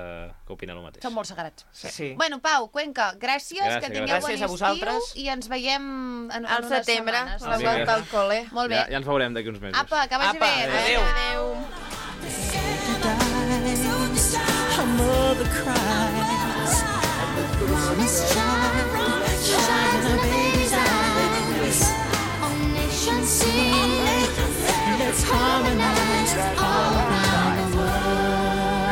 que opina el mateix. Són molt sagrats. Sí. sí. Bueno, Pau, Cuenca, gràcies, Gràcies, que tingueu gràcies. Gràcies a bon vosaltres. estiu i ens veiem en, en Al unes setembre, setmanes. la Sí. volta al col·le. Molt bé. Ja, ja ens veurem d'aquí uns mesos. Apa, que vagi Apa, bé. adéu. Adéu. Her mother cries, and the promised child shines in her baby's eyes. All nations sing, let's harmonize all around the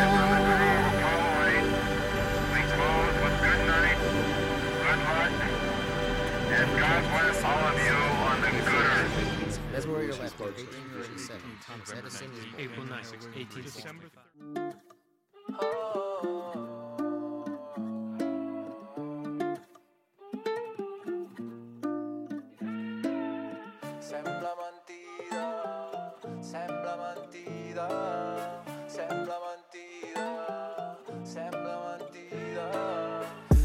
That's where you're left. eighteen thirty-seven. Thomas Edison is born. April ninth, eighteen sixty. Sembla mentida, sembla mentida, sembla mentida, sembla mentida.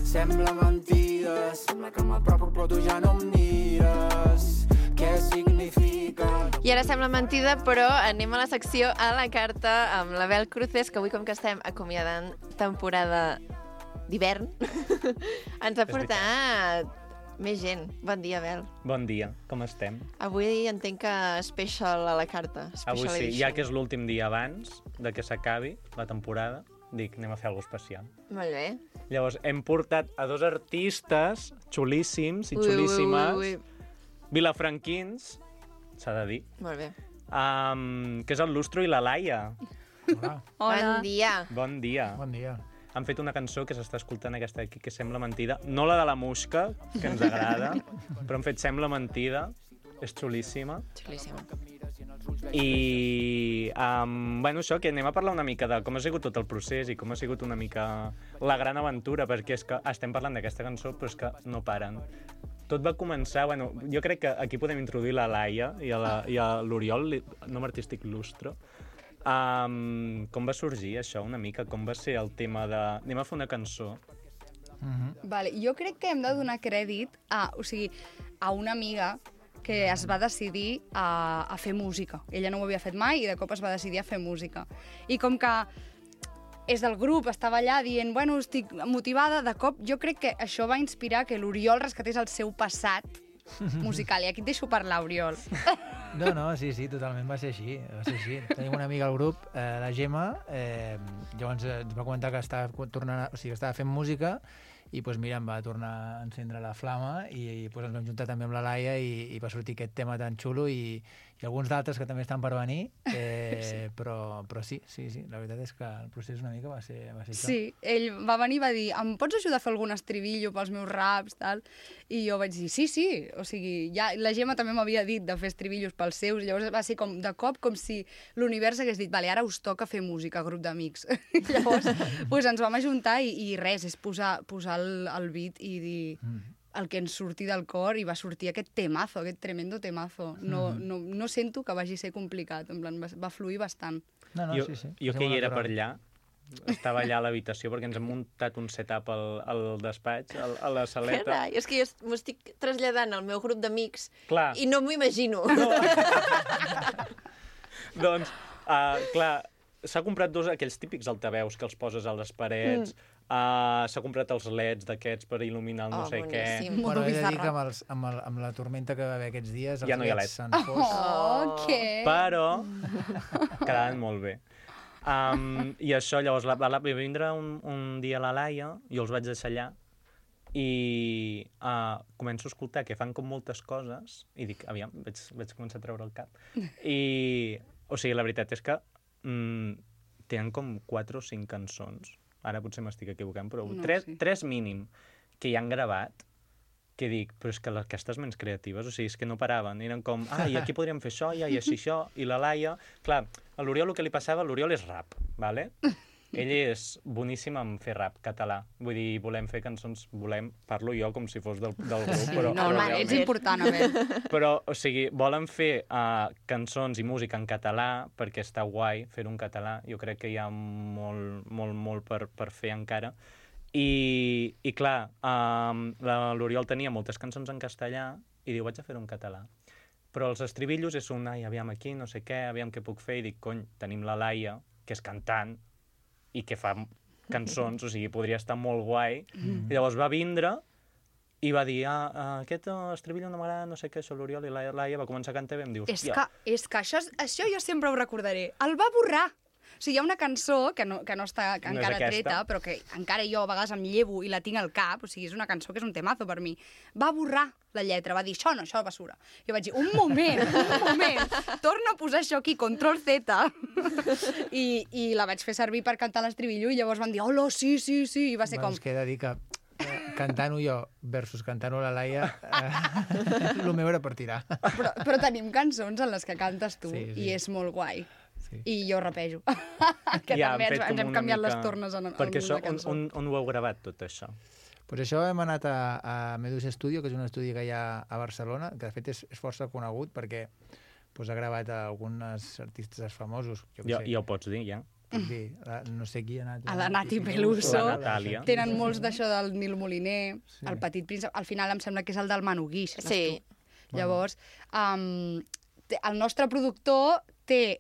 Sembla mentida, sembla que m'apropo però tu ja no em mires. Què significa? I ara sembla mentida, però anem a la secció a la carta amb la Bel Cruces, que avui, com que estem acomiadant temporada d'hivern, ens ha portat més gent. Bon dia, Bel. Bon dia, com estem? Avui entenc que special a la carta. Avui Special sí, edition. ja que és l'últim dia abans de que s'acabi la temporada, dic, anem a fer alguna cosa especial. Molt bé. Llavors, hem portat a dos artistes xulíssims i Ui, xulíssimes, ui, ui, ui. vilafranquins, s'ha de dir, Molt bé. um, que és el Lustro i la Laia. Hola, Bon dia. Bon dia. bon dia. Han fet una cançó que s'està escoltant aquesta aquí, que sembla mentida. No la de la Musca, que ens agrada, però han fet Sembla mentida. És xulíssima. Xulíssima. I, um, bueno, això, que anem a parlar una mica de com ha sigut tot el procés i com ha sigut una mica la gran aventura, perquè és que estem parlant d'aquesta cançó, però és que no paren. Tot va començar, bueno, jo crec que aquí podem introduir la Laia i a la- i a l'Oriol, li- nom artístic Lustro. Um, com va sorgir això una mica? Com va ser el tema de... Anem a fer una cançó. Vale, jo crec que hem de donar crèdit a, o sigui, a una amiga que es va decidir a, a fer música. Ella no ho havia fet mai i de cop es va decidir a fer música. I com que és del grup, estava allà dient, bueno, estic motivada, de cop jo crec que això va inspirar que l'Oriol rescatés el seu passat musical. I aquí et deixo parlar, Oriol. No, no, sí, sí, totalment va ser així, va ser així. Tenim una amiga al grup, eh, la Gemma, eh, llavors eh, ens va comentar que estava, tornant, a- o sigui, que estava fent música i doncs, mira, em va tornar a encendre la flama i, i doncs, ens vam juntar també amb la Laia i, i va sortir aquest tema tan xulo i, i alguns d'altres que també estan per venir, eh, sí. Però, però sí, sí, sí, la veritat és que el procés una mica va ser, va ser això. Sí, ell va venir i va dir, em pots ajudar a fer algun estribillo pels meus raps, tal? I jo vaig dir, sí, sí, o sigui, ja, la Gemma també m'havia dit de fer estribillos pels seus, llavors va ser com de cop com si l'univers hagués dit, vale, ara us toca fer música, grup d'amics. Llavors, pues, ens vam ajuntar i, i res, és posar, posar el, el beat i dir el que ens surti del cor i va sortir aquest temazo, aquest tremendo temazo. No, no, no sento que vagi ser complicat, en plan, va, va fluir bastant. No, no, jo, sí, sí. jo Va que ser hi molt era per natural. allà, estava allà a l'habitació perquè ens hem muntat un setup al, al despatx, al, a la saleta. Carai, és que jo est- m'ho estic traslladant al meu grup d'amics Clar. i no m'ho imagino. Doncs, uh, clar, s'ha comprat dos aquells típics altaveus que els poses a les parets, mm. uh, s'ha comprat els leds d'aquests per il·luminar el no Oh, sé boníssim. què. Modo Bueno, he de dir bizarra. que amb, els, amb, el, amb la tormenta que va haver aquests dies, els Ja no hi ha leds leds. s'han fos. Oh, què? Però quedaven molt bé. Um, I això, llavors, la, va, va vindre un, un dia la Laia, jo els vaig deixar allà, i uh, començo a escoltar que fan com moltes coses, i dic, aviam, vaig, vaig començar a treure el cap. I, o sigui, la veritat és que mm, tenen com quatre o cinc cançons, ara potser m'estic equivocant, però No, tres, sí. tres mínim, que hi han gravat, que dic, però és que les- aquestes ments creatives, o sigui, és que no paraven, eren com, ah, i aquí podríem fer això, i així això, i la Laia... Clar, a l'Oriol el que li passava, l'Oriol és rap, vale? Ell és boníssim en fer rap català. Vull dir, volem fer cançons, volem, parlo jo com si fos del, del grup, però, No, però home, realment- ets important, a veure. però, o sigui, volen fer uh, cançons i música en català perquè està guai fer-ho en català. Jo crec que hi ha molt, molt, molt per, per fer encara. I, i clar, um, l'Oriol tenia moltes cançons en castellà i diu, vaig a fer-ho en català. Però els estribillos és un, ai, aviam aquí, no sé què, aviam què puc fer, i dic, cony, tenim la Laia, que és cantant, i que fa cançons, o sigui, podria estar molt guai. Mm. I llavors va vindre i va dir, ah, ah, aquest uh, estribillo no m'agrada, no sé què, això l'Oriol, i la Laia va començar a cantar i vam dir, És hòstia, que, és que això, és- això jo sempre ho recordaré. El va borrar. O sigui, hi ha una cançó que no, que no està que No és encara aquesta. treta, però que encara jo a vegades em llevo i la tinc al cap, o sigui, és una cançó que és un temazo per mi. Va borrar la lletra, va dir, això no, això és basura. Jo vaig dir, un moment, un moment, torna a posar això aquí, control Z, i, i la vaig fer servir per cantar l'estribillo, i llavors van dir, hola, sí, sí, sí, i va ser Bueno, com... és que he de dir que eh, cantant-ho jo versus cantant-ho la Laia, eh, el meu era per tirar. Però, però tenim cançons en les que cantes tu, Sí, sí. i és molt guai. Sí. I jo rapejo. que ja, també han ens, fet com ens hem una canviat mica- les tornes en, en Perquè això, alguna on, cançó. on, on ho heu gravat, tot això? Pues això hem anat a, a Medus Studio, que és un estudi que hi ha a Barcelona, que de fet és, és força conegut perquè pues, ha gravat a alguns artistes famosos. Jo, què Jo, sé, ja ho pots dir, ja. puc dir, la, no sé qui ha anat. A la Nati Peluso. La Natàlia. Tenen molts d'això del Nil Moliner, Sí. el Petit Príncep. Al final em sembla que és el del Manu Guix. Sí. Llavors, um, té- el nostre productor té,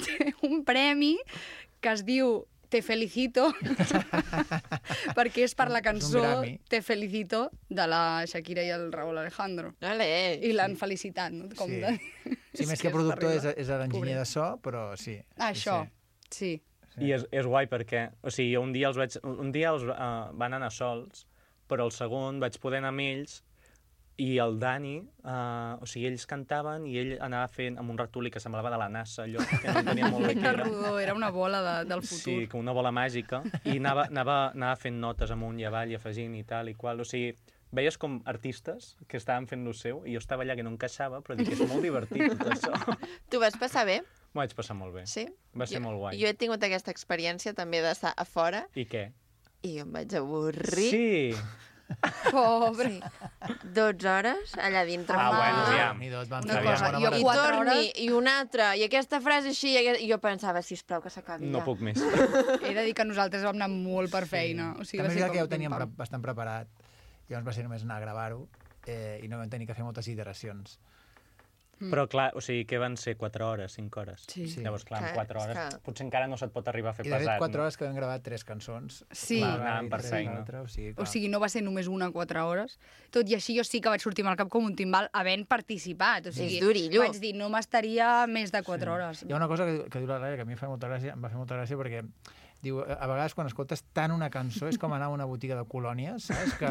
té un premi que es diu Te Felicito, perquè és per la És un cançó Grammy. Te Felicito de la Shakira i el Raúl Alejandro. Vale. I l'han felicitat, no? Com Sí. de... Sí, més que que productor és, terrible. és l'enginyer Pobret. de so, però sí. Ah, sí, això, sí. Sí. I és, és guai perquè, o sigui, un dia els vaig... Un dia els uh, van anar sols, però el segon vaig poder anar amb ells i el Dani, uh, o sigui, ells cantaven i ell anava fent amb un ratolí que semblava de la NASA, allò que no tenia molt bé què Era era. rodó, era una bola de, del futur. Sí, com una bola màgica, i anava, anava, anava fent notes amunt i avall i afegint i tal i qual, o sigui, veies com artistes que estaven fent lo seu i jo estava allà que no encaixava, però dic que és molt divertit tot això. Tu vas passar bé? M'ho vaig passar molt bé. Sí? Va ser jo, molt guai. Jo he tingut aquesta experiència també d'estar a fora I què? i jo em vaig avorrir. Sí! Pobre. Sí. dotze hores allà dintre. Ah, bueno, aviam. Ni dos van Una fer cosa, bona jo marató. I quatre torni, hores- i una altra, i aquesta frase així, i aquesta... i jo pensava, sisplau, que s'acabi No ja. puc més. He de dir que nosaltres vam anar molt per feina. O sigui, També va és ser veritat que ja ho com teníem pim-pam. pre bastant preparat. Llavors va ser només anar a gravar-ho eh, i no vam tenir que fer moltes iteracions. Però clar, o sigui, que van ser quatre hores, cinc hores. Sí. Sí. Llavors, clar, Clar, en quatre és hores que- potser encara no se't pot arribar a fer I de fet, pesat. quatre no? hores que vam gravar tres cançons. Sí. Clar, Una anàvem per darrere feina. l'altra, O sigui, O clar. sigui, no va ser només una quatre hores. Tot i així jo sí que vaig sortir amb el cap com un timbal havent participat. O sigui, És durillo. vaig dir, no m'estaria més de quatre hores. Hi ha una cosa que, que diu la Laia que a mi em fa molta gràcia, em va fer molta gràcia perquè diu, a vegades quan escoltes tant una cançó és com anar a una botiga de colònies, saps? Que,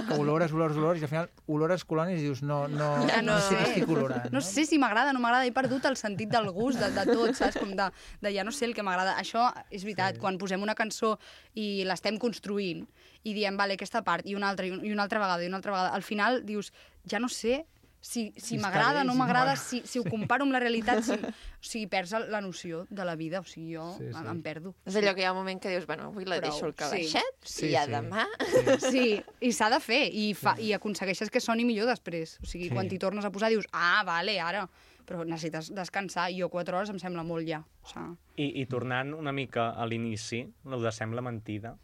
que olores, olores, olores, i al final olores colònies i dius, no, no, Ja no, no sé què sé. estic olorant. No sé si m'agrada, no m'agrada, he perdut el sentit del gust, de, de tot, saps? Com de, de ja no sé el que m'agrada. Això és veritat, Sí. quan posem una cançó i l'estem construint i diem, vale, aquesta part, i una altra, i un- i una altra vegada, i una altra vegada, al final dius, ja no sé si, si Si està m'agrada, bé, no si no m'agrada, m'agrada. si, si ho comparo amb la realitat, si, o sigui, perds el- la noció de la vida, o sigui, jo Sí, sí. em, em perdo. És allò que hi ha un moment que dius, bueno, avui la Prou, deixo al sí. calaixet, Sí, i ja sí. demà... Sí, i s'ha de fer, i, fa, i aconsegueixes que soni millor després. O sigui, Sí. quan t'hi tornes a posar dius, ah, vale, ara, però necessites descansar, i jo quatre hores em sembla molt ja. O sigui, I, I tornant una mica a l'inici, el de Sembla mentida,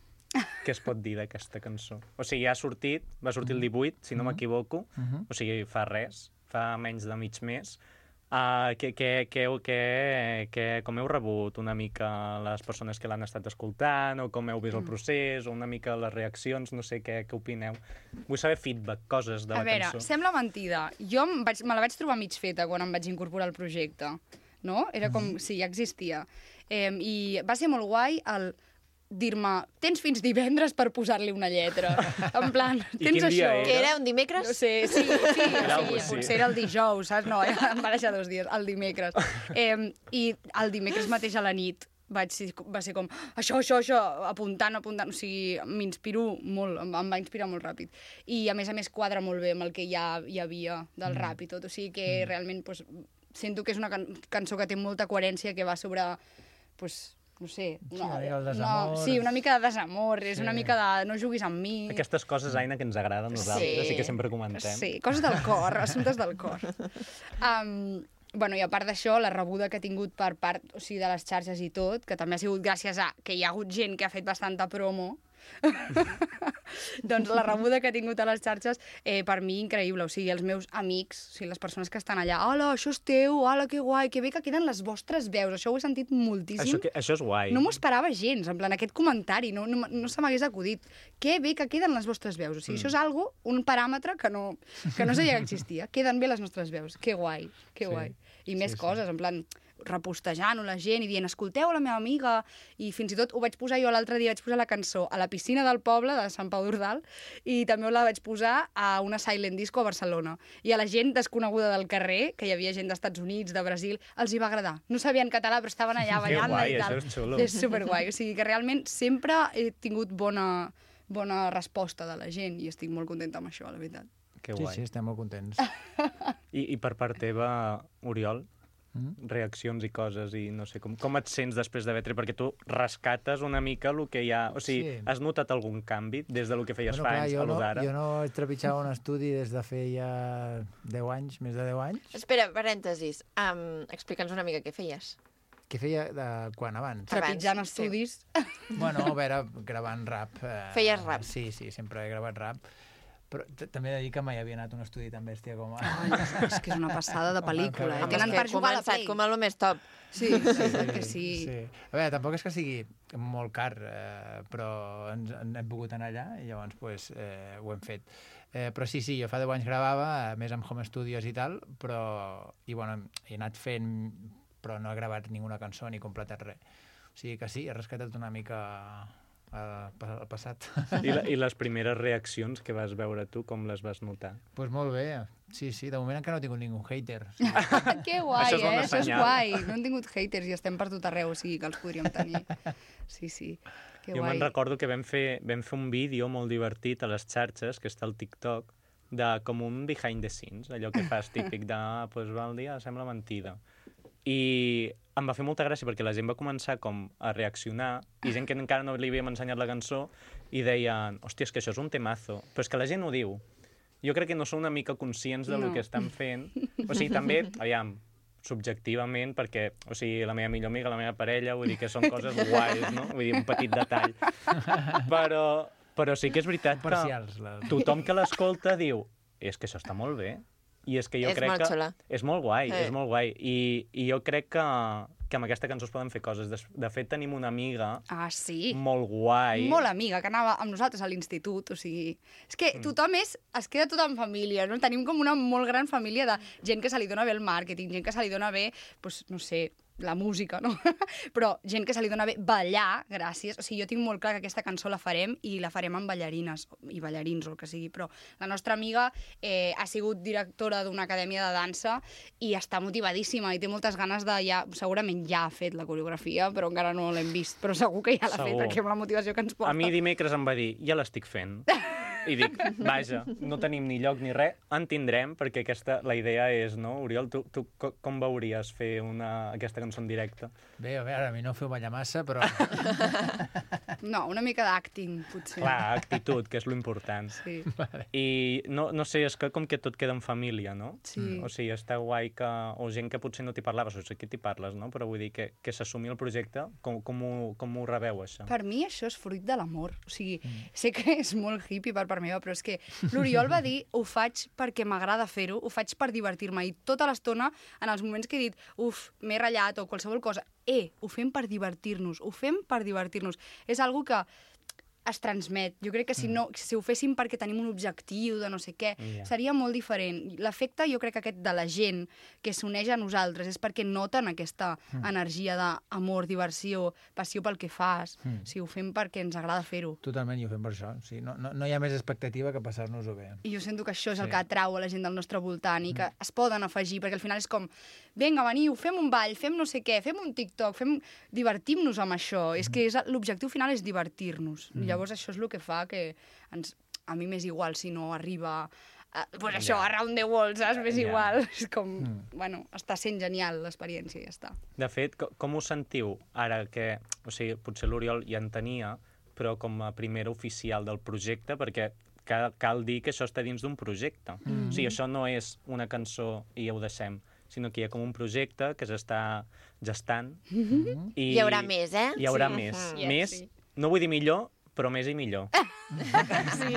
què es pot dir d'aquesta cançó? O sigui, ja ha sortit, va sortir el divuit, si no m'equivoco, Mhm. o sigui, fa res, fa menys de mig mes. Uh, que, que, que, que, que, com heu rebut una mica les persones que l'han estat escoltant, o com heu vist el procés, o una mica les reaccions, no sé què, què opineu. Vull saber feedback, coses de la a veure, cançó. sembla mentida. Jo em vaig, me la vaig trobar mig feta quan em vaig incorporar al projecte, no? Era com, sí, ja existia. Eh, I va ser molt guai el dir-me, tens fins divendres per posar-li una lletra. En plan, I tens quin això. dia Que era un dimecres? No sé, sí, sí, Era sí, algo així. potser era el dijous, saps? No, em va deixar dos dies, el dimecres. Eh, I el dimecres mateix a la nit vaig ser, va ser com, això, això, això, apuntant, apuntant, o sigui, m'inspiro molt, em, em va inspirar molt ràpid. I a més a més quadra molt bé amb el que ja hi havia del Mm. rap i tot, o sigui que realment pues, sento que és una can cançó que té molta coherència, que va sobre, pues, no sé... Sí, una mica el desamor. sí, una mica de desamor, és Sí. una mica de no juguis amb mi. Aquestes coses, Aina, que ens agraden a nosaltres Sí. i que sempre comentem. Sí, coses del cor, assumptes del cor. Um, bueno, i a part d'això, la rebuda que he tingut per part, o sigui, de les xarxes i tot, que també ha sigut gràcies a que hi ha hagut gent que ha fet bastanta promo, doncs la rebuda que he tingut a les xarxes, eh, per mi, increïble. O sigui, els meus amics, o sigui, les persones que estan allà, hola, això és teu, hola, que guai, que bé que queden les vostres veus. Això ho he sentit moltíssim. Això, que, això és guai. No m'ho esperava gens, en plan, aquest comentari, no, no, no se m'hagués acudit. Que bé que queden les vostres veus. O sigui, mm. això és algo, un paràmetre que no, que no sabia que existia. Queden bé les nostres veus. Que guai, que Sí. guai. I més Sí, sí. coses, en plan, repostejant-ho la gent i dient, escolteu la meva amiga, i fins i tot ho vaig posar jo l'altre dia, vaig posar la cançó a la piscina del poble de Sant Pau d'Ordal i també la vaig posar a una silent disco a Barcelona. I a la gent desconeguda del carrer, que hi havia gent d'Estats Units, de Brasil, els hi va agradar. No sabien català, però estaven allà Que ballant guai, i tal. això és xulo. És superguai, o sigui que realment sempre he tingut bona, bona resposta de la gent i estic molt contenta amb això, la veritat. Que Sí, guai. sí, estem molt contents. I, I per part teva, Oriol, Mm. reaccions i coses, i no sé, com, com et sents després d'haver tret? Perquè tu rescates una mica el que hi ha... O sigui, Sí. has notat algun canvi des del que feies Bueno, fa clar, anys jo a lo no, d'ara? jo no he trepitjat un estudi des de feia deu anys, més de deu anys. Espera, parèntesis. Um, Explica'ns una mica què feies. Què feia de quan abans? Trepitjant Abans, sí. estudis. Bueno, a veure, gravant rap. Eh, Feies rap. Sí, sí, sempre he gravat rap. Però també he de dir que mai havia anat a un estudi tan bèstia com... Ai, és que és una passada de pel·lícula. Eh? Home, Tenen és que per he jugar a la començat Play. com a lo més top. Sí, sí, sí, que sí. sí. A veure, tampoc és que sigui molt car, eh, però ens, ens hem pogut anar allà i llavors pues, eh, ho hem fet. Eh, però sí, sí, jo fa deu anys gravava, a més amb home studios i tal, però i, bueno, he anat fent, però no he gravat ninguna cançó ni completat res. O sigui que sí, he rescatat una mica al passat. I, la, I les primeres reaccions que vas veure tu, com les vas notar? Doncs pues molt bé, sí, sí, de moment encara no he tingut ningú hater. Sí. Que guai, Això és eh? bona Això és senyal. guai. No hem tingut haters i estem per tot arreu, o sigui que els podríem tenir. Sí, sí, que Jo guai. me'n recordo que vam fer, vam fer un vídeo molt divertit a les xarxes, que està al TikTok, de com un behind the scenes, allò que fas típic de, ah, pues va el dia, sembla mentida. I em va fer molta gràcia perquè la gent va començar com a reaccionar i gent que encara no li havíem ensenyat la cançó i deien, hòstia, és que això és un temazo. Però és que la gent ho diu. Jo crec que no són una mica conscients del No. que estan fent. O sigui, també, aviam, subjectivament, perquè, o sigui, la meva millor amiga, la meva parella, vull dir que són coses guais, no? Vull dir, un petit detall. Però, però sí que és veritat que Parcials, la... tothom que l'escolta diu, és que això està molt bé. I és que jo És crec molt que... xula. És molt guai, Eh. és molt guai. I, i jo crec que, que amb aquesta cançó es poden fer coses. De, de fet, tenim una amiga Ah, sí? molt guai. Molt amiga, que anava amb nosaltres a l'institut, o sigui... És que tothom és... Es queda tot en família, no? Tenim com una molt gran família de gent que se li dona bé el màrqueting, gent que se li dona bé, doncs, no sé, la música, no? Però gent que se li dona bé ballar, gràcies. O sigui, jo tinc molt clar que aquesta cançó la farem i la farem amb ballarines i ballarins o el que sigui, però la nostra amiga eh, ha sigut directora d'una acadèmia de dansa i està motivadíssima i té moltes ganes de ja... Segurament ja ha fet la coreografia, però encara no l'hem vist, però segur que ja l'ha fet, Segur. perquè amb la motivació que ens porta. A mi dimecres em va dir, ja l'estic fent. I dic, vaja, no tenim ni lloc ni res, en tindrem, perquè aquesta, la idea és, no? Oriol, tu, tu co- com veuries fer una, aquesta cançó en directe? Bé, a veure, a mi no ho feu ballar massa, però... No, una mica d'acting, potser. Clar, actitud, que és lo important. Sí. I no, no sé, és que com que tot queda en família, no? Sí. O sigui, està guai que... O gent que potser no t'hi parlaves, o sigui, que t'hi parles, no? Però vull dir que, que s'assumi el projecte, com, com, ho, com ho rebeu, això? Per mi això és fruit de l'amor. O sigui, sé que és molt hippie per part meva, però és que l'Oriol va dir, ho faig perquè m'agrada fer-ho, ho faig per divertir-me. I tota l'estona, en els moments que he dit, uf, m'he ratllat o qualsevol cosa, eh, ho fem per divertir-nos, ho fem per divertir-nos. És algo que es transmet. Jo crec que si, no, si ho féssim perquè tenim un objectiu de no sé què, Ja. seria molt diferent. L'efecte, jo crec que aquest de la gent que s'uneix a nosaltres és perquè noten aquesta energia d'amor, diversió, passió pel que fas. Mm. Si ho fem perquè ens agrada fer-ho. Totalment, i ho fem per això. Sí, no, no, no hi ha més expectativa que passar-nos-ho bé. I jo sento que això és el Sí. que atrau a la gent del nostre voltant i que es poden afegir, perquè al final és com, vinga, veniu, fem un ball, fem no sé què, fem un TikTok, fem... divertim-nos amb això. És que és... l'objectiu final és divertir-nos. Llavors això és el que fa que ens... a mi m'és igual si no arriba... A... Pues això, Ja. around the world, saps? M'és Ja. igual. És com, bueno, està sent genial l'experiència i ja està. De fet, co- com us sentiu ara que... O sigui, potser l'Oriol ja en tenia, però com a primera oficial del projecte, perquè cal, cal dir que això està dins d'un projecte. Mm. O sigui, això no és una cançó i ja ho deixem, sinó que hi ha com un projecte que s'està gestant. Mm-hmm. I Hi haurà més, eh? Hi haurà Sí. més. Mm. Més, Sí. no vull dir millor, però més i millor. Sí,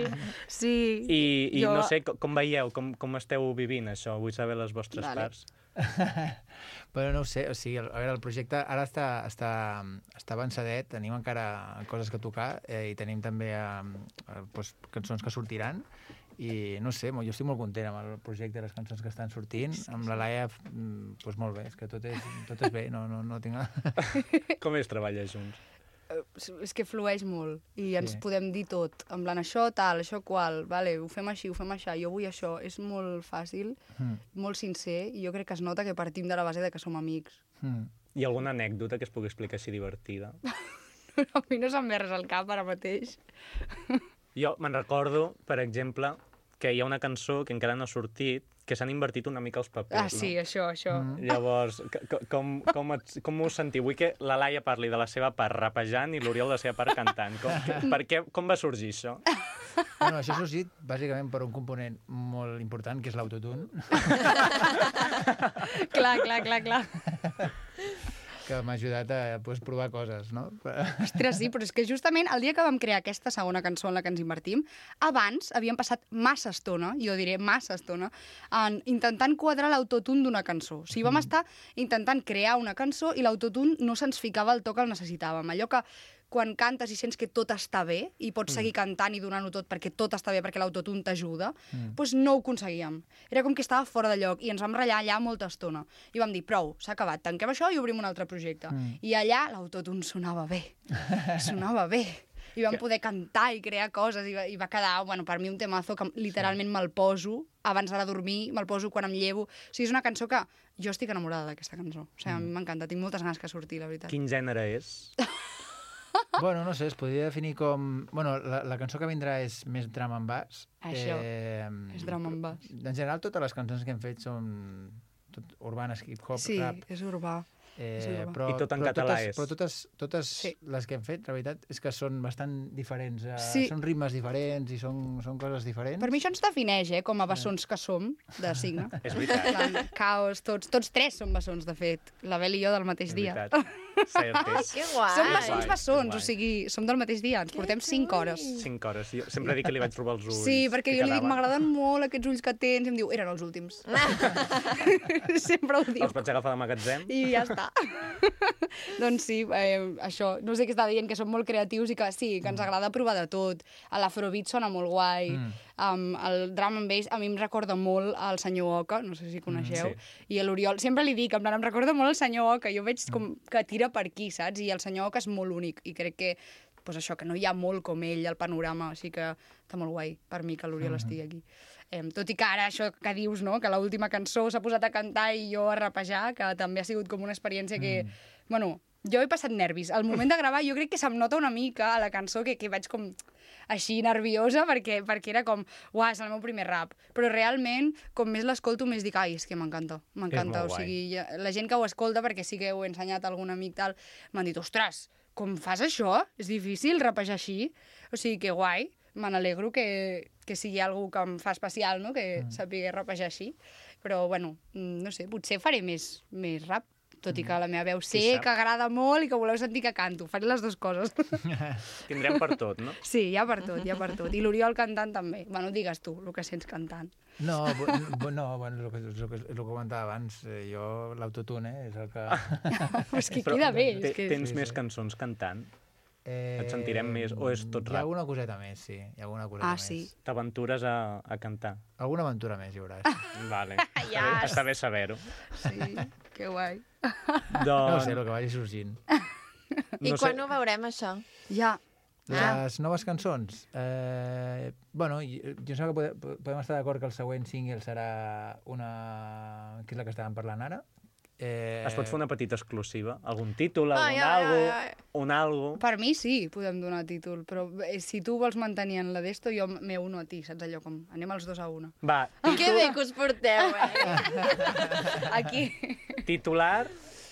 sí. I, i Jo- no sé, com, com veieu, com, com esteu vivint això? Vull saber les vostres Vale. parts. Però no ho sé, o sigui, a veure, el projecte ara està, està, està avançadet, tenim encara coses que tocar eh, i tenim també eh, eh, doncs, cançons que sortiran i no sé, mo- jo estic molt content amb el projecte i les cançons que estan sortint. Amb la Laia, mm, doncs molt bé, és que tot és, tot és bé, no, no, no tinc... Com és treballar junts? És que flueix molt i ens Sí. podem dir tot, en plan això tal, això qual, vale, ho fem així, ho fem això, jo vull això, és molt fàcil, Mm. molt sincer, i jo crec que es nota que partim de la base de que som amics. Mm. Hi ha alguna anècdota que es pugui explicar així divertida? A mi no se'm ve res al cap ara mateix. Jo me'n recordo, per exemple, que hi ha una cançó que encara no ha sortit, que s'han invertit una mica els papers, Ah, sí, no? això, això. Mm. Llavors, c- c- com, com, et, com us sentiu? Vull que la Laia parli de la seva part rapejant i l'Oriol de la seva part cantant. Com, que, per què, com va sorgir això? Bueno, això ha sorgit bàsicament per un component molt important, que és l'autotune. Clar, clar, clar, clar. que m'ha ajudat a pues, provar coses, no? Ostres, sí, però és que justament el dia que vam crear aquesta segona cançó en la que ens invertim, abans havíem passat massa estona, jo diré massa estona, en intentant quadrar l'autotune d'una cançó. O sigui, vam estar intentant crear una cançó i l'autotune no se'ns ficava el to que el necessitàvem. Allò que quan cantes i sents que tot està bé i pots seguir cantant i donant-ho tot perquè tot està bé, perquè l'autotune t'ajuda, mm. doncs no ho aconseguíem. Era com que estava fora de lloc i ens vam ratllar allà molta estona. I vam dir, prou, s'ha acabat, tanquem això i obrim un altre projecte. Mm. I allà l'autotune sonava bé, sonava bé. I vam poder cantar i crear coses i va, i va quedar, bueno, per mi un temazo que literalment me'l poso abans d'anar a dormir, me'l poso quan em llevo. O sigui, és una cançó que jo estic enamorada d'aquesta cançó. O sigui, mm. a mi m'encanta, tinc moltes ganes que surti, la veritat. Quin gènere és? Bueno, no sé, es podria definir com... Bueno, la, la cançó que vindrà és més drum and bass. Això, eh, és drum and bass. En general, totes les cançons que hem fet són tot urbanes, hip-hop, sí, rap. Sí, és urbà. Eh, però, I tot en però català totes, és. Però totes, totes sí. les que hem fet, la veritat, és que són bastant diferents. Eh, sí. Són ritmes diferents i són, són coses diferents. Per mi això ens defineix, eh, com a bessons que som, de signe. És veritat. Caos, tots, tots tres som bessons, de fet. La Bel i jo del mateix és dia. Cert, Ai, que guai! Som bessons bessons, o sigui, som del mateix dia, ens portem cinc hores. Cinc hores. Jo sempre dic que li vaig trobar els ulls. Sí, perquè jo li dic, m'agraden molt aquests ulls que tens, i em diu, eren els últims. Sempre ho diu. Els vaig agafar de magatzem. I ja està. Doncs sí, eh, això, no sé què està dient, que som molt creatius i que sí, que ens agrada provar de tot. L'afrobeat sona molt guai, mm. um, el drum and bass a mi em recorda molt al senyor Oca, no sé si coneixeu, mm, sí. I l'Oriol, sempre li dic, en plan, em recorda molt el senyor Oca, jo veig com que tira per aquí, saps? I el senyor Oca és molt únic, i crec que pues això, que no hi ha molt com ell al panorama, així que està molt guai per mi que l'Oriol mm-hmm. estigui aquí. Eh, tot i que ara això que dius, no?, que l'última cançó s'ha posat a cantar i jo a rapejar, que també ha sigut com una experiència que, mm. bueno, jo he passat nervis. Al moment de gravar jo crec que se'm nota una mica a la cançó que, que vaig com així nerviosa perquè, perquè era com, uah, és el meu primer rap. Però realment, com més l'escolto, més dic, ai, és que m'encanta, m'encanta. O sigui, la gent que ho escolta, perquè sí que ho he ensenyat a algun amic tal, m'han dit, ostres, com fas això? És difícil rapejar així? O sigui, que guai. Me n'alegro que, que sigui algú que em fa especial, no?, que mm. sàpiga rapejar així. Però, bueno, no sé, potser faré més, més rap, tot i que la meva veu sé que agrada molt i que voleu sentir que canto. Faré les dues coses. Tindrem per tot, no? Sí, hi ha per tot, hi ha per tot. I l'Oriol cantant també. Bueno, digues tu, el que sents cantant. No, no, bueno, el que, el que, el que comentava abans, eh, jo l'autotune eh, és el que... És que queda bé. És que... Tens sí, més sí. cançons cantant? Eh, Et sentirem més, o és tot rap? Hi ha alguna coseta més, sí. Hi ha alguna coseta ah, sí. més. T'aventures a, a cantar? Alguna aventura més hi haurà. Sí. Vale. Yes. Està bé saber-ho. Sí, que guai. Doncs... No sé, el que vagi sorgint. I no quan sé... ho veurem, això? Ja. Les ah. noves cançons? Eh, bueno, jo, jo sé que podem, podem estar d'acord que el següent single serà una... que és la que estàvem parlant ara. Eh... Es pot fer una petita exclusiva? Algun títol, algun ai, algo, ai, ai. un algo... Per mi sí, podem donar títol, però si tu vols mantenir en la d'esto, jo me uno a ti, saps allò com... Anem els dos a una. Va, títol... Que bé que us porteu, eh? Aquí. Titular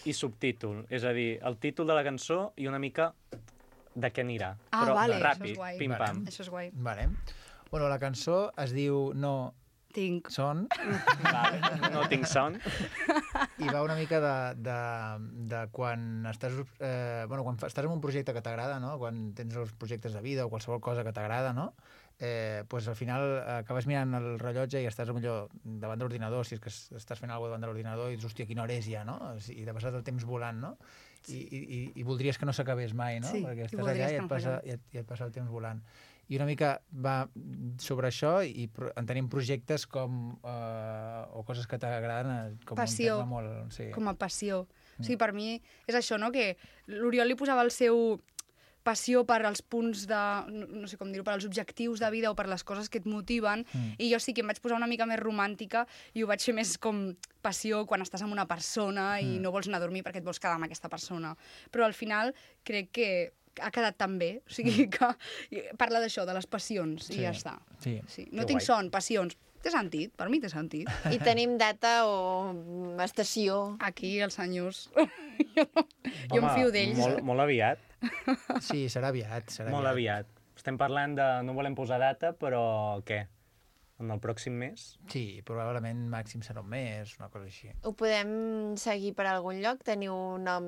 i subtítol, és a dir, el títol de la cançó i una mica de què anirà. Ah, però vale, ràpid, això és guai. pim-pam. Això és guai. Vale. Bueno, la cançó es diu No... Tinc. Son. Vale. No tinc son. I va una mica de, de, de quan estàs, eh, bueno, quan estàs en un projecte que t'agrada, no? Quan tens els projectes de vida o qualsevol cosa que t'agrada, no? Eh, pues al final acabes mirant el rellotge i estàs millor davant de l'ordinador, si és que estàs fent alguna cosa davant de l'ordinador i dius, hòstia, quina hora és ja, no? I t'ha passat el temps volant, no? I, i, i voldries que no s'acabés mai, no? Sí, perquè estàs allà i et, passa, i, et, i et passa el temps volant. I una mica va sobre això i en tenim projectes com eh, o coses que t'agraden com passió, un tema molt... Sí. Com a passió. Mm. O sigui, per mi és això, no?, que l'Oriol li posava el seu passió per als punts de... no, no sé com dir-ho, per als objectius de vida o per les coses que et motiven, mm. i jo sí que em vaig posar una mica més romàntica i ho vaig fer més com passió quan estàs amb una persona i mm. no vols anar a dormir perquè et vols quedar amb aquesta persona. Però al final crec que ha quedat tan bé, o sigui que parla d'això, de les passions, sí. I ja està. Sí. Sí. No que tinc guai. Son, passions. Té sentit, per mi té sentit. I tenim data o estació? Aquí, els senyors. jo no, Home, jo em fio d'ells. Molt, molt aviat. Sí, serà aviat. Serà molt aviat. aviat. Estem parlant de... No volem posar data, però què? en el pròxim mes. Sí, probablement màxim serà un mes, una cosa així. Ho podem seguir per algun lloc? Teniu un nom...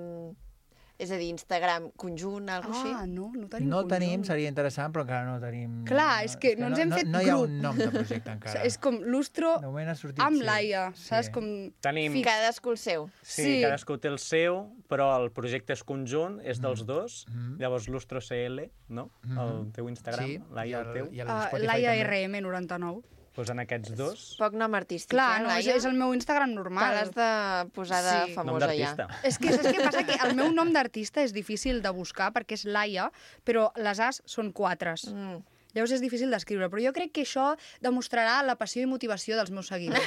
És a dir, Instagram conjunt, alguna cosa Ah, així? no, no tenim No conjunt. tenim, seria interessant, però encara no tenim... Clar, és que no ens hem no, fet no hi ha grup. un nom de projecte encara. És com Lustro De moment ha sortit... amb sí. Laia, saps? Sí. Com... Tenim... Cadascú el seu. Sí, Sí. cadascú té el seu, però el projecte és conjunt, és dels dos. Mhm. Llavors, Lustro C L, no? El teu Instagram, Sí, Laia, i el teu. i el Uh, Spotify Laia també. R M noranta-nou. Doncs en aquests dos... Poc nom artístic, Clar, eh, no, és, Laia? és el meu Instagram Te normal. l'has de posar de Sí. Nom famosa ja. d'artista. És que saps què passa? Que el meu nom d'artista és difícil de buscar perquè és Laia, però les As són quatres. Mm. Llavors és difícil d'escriure, però jo crec que això demostrarà la passió i motivació dels meus seguidors.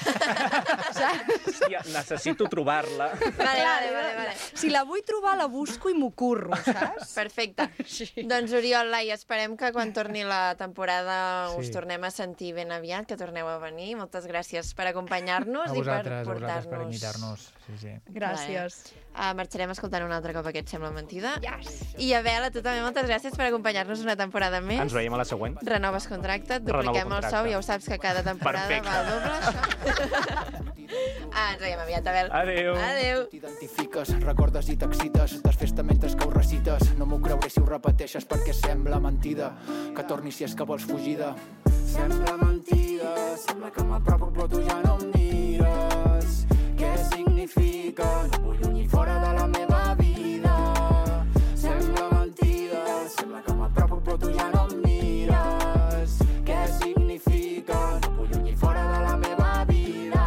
Saps? Hòstia, necessito trobar-la. Vale, vale, vale, vale. Si la vull trobar, la busco i m'ho curro, saps? Perfecte. Sí. Doncs Oriol, Laia, esperem que quan torni la temporada Sí. us tornem a sentir ben aviat, que torneu a venir. Moltes gràcies per acompanyar-nos A i per vosaltres, a vosaltres per portar-nos... invitar-nos. Sí, sí. Gràcies. Uh, marxarem escoltant un altre cop aquest Sembla Mentida. Yes. I Abel, a tu també moltes gràcies per acompanyar-nos una temporada més. Ens veiem a la següent. Renoves contracte, et dupliquem Renovo el contracte. sou, ja ho saps que cada temporada Perfecte. va al doble, això. ah, ens veiem aviat, Abel. Adéu. Adéu. T'identifiques, recordes i t'excites, desfesta mentre que ho recites. No m'ho creuré si ho repeteixes perquè sembla mentida. Que tornis si és que vols fugida. Sembla mentida, sembla que m'apropo però tu ja no em mires. Què significa? No vull lluny i fora de la meva vida. Sembla mentida, sembla que m'apropo però tu ja no em mires. Què significa? No vull lluny i fora de la meva vida.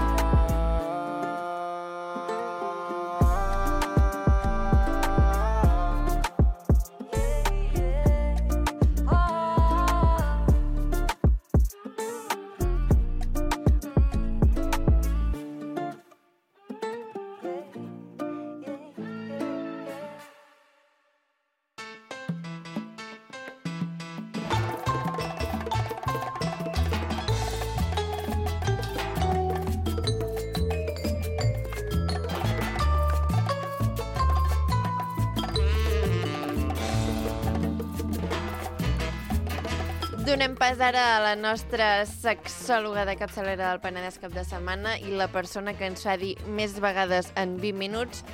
Donem pas ara a la nostra sexòloga de capçalera del Penedès cap de setmana i la persona que ens fa dir més vegades en vint minuts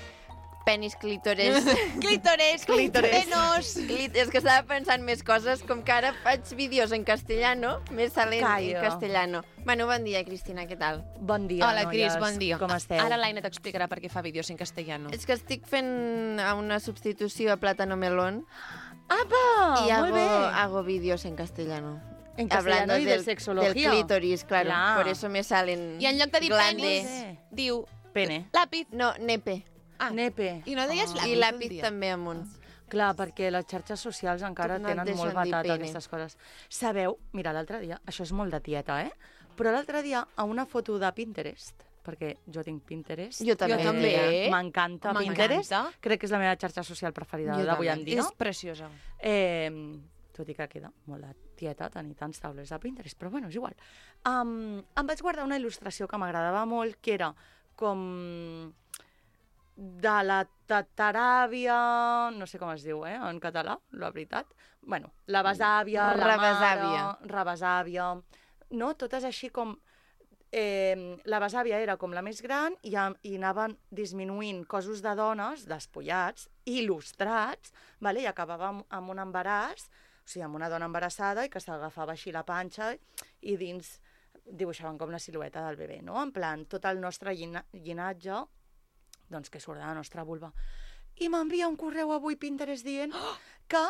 penis, clítores... Clítores, clitorenos. Clit és que estava pensant més coses, com que ara faig vídeos en castellano, més salen Callo. en castellano. Bueno, bon dia, Cristina, què tal? Bon dia, Hola, Cris, noies. bon dia. Com esteu? Ara l'Aina t'explicarà per què fa vídeos en castellano. És que estic fent una substitució a Plátano Melón Apa, y molt hago, bé. hago vídeos en castellano. En castellano Hablando y de del, sexología. Del clítoris, claro. Clar. Por eso me salen I en lloc de dir glandes. penis, diu Pene. lápiz. No, nepe. Ah, Nepe. I no deies Ah. lápiz I un lápiz dia? també amunt. Clar, perquè les xarxes socials encara No et tenen deixen molt dir batat pene. aquestes coses. Sabeu, mira, l'altre dia, això és molt de tieta, eh? Però l'altre dia, a una foto de Pinterest, perquè jo tinc Pinterest. Jo també. Jo també. M'encanta M'encanta. Pinterest. Crec que és la meva xarxa social preferida Jo d'avui també. en dia. És preciosa. Eh, tot i que queda molt de tieta tenir tants taules de Pinterest, però bueno, és igual. Um, em vaig guardar una il·lustració que m'agradava molt, que era com de la tataràvia, no sé com es diu, eh, en català, la veritat. Bueno, la besàvia, la Rebesàvia. mare, rebesàvia, no? Totes així com... Eh, la besàvia era com la més gran i, a- i anaven disminuint cossos de dones despullats, il·lustrats, vale? I acabava amb, amb un embaràs, o sigui, amb una dona embarassada i que s'agafava així la panxa i dins dibuixaven com la silueta del bebè, no? En plan, tot el nostre llina llinatge doncs que surt de la nostra vulva. I m'envia un correu avui Pinterest dient que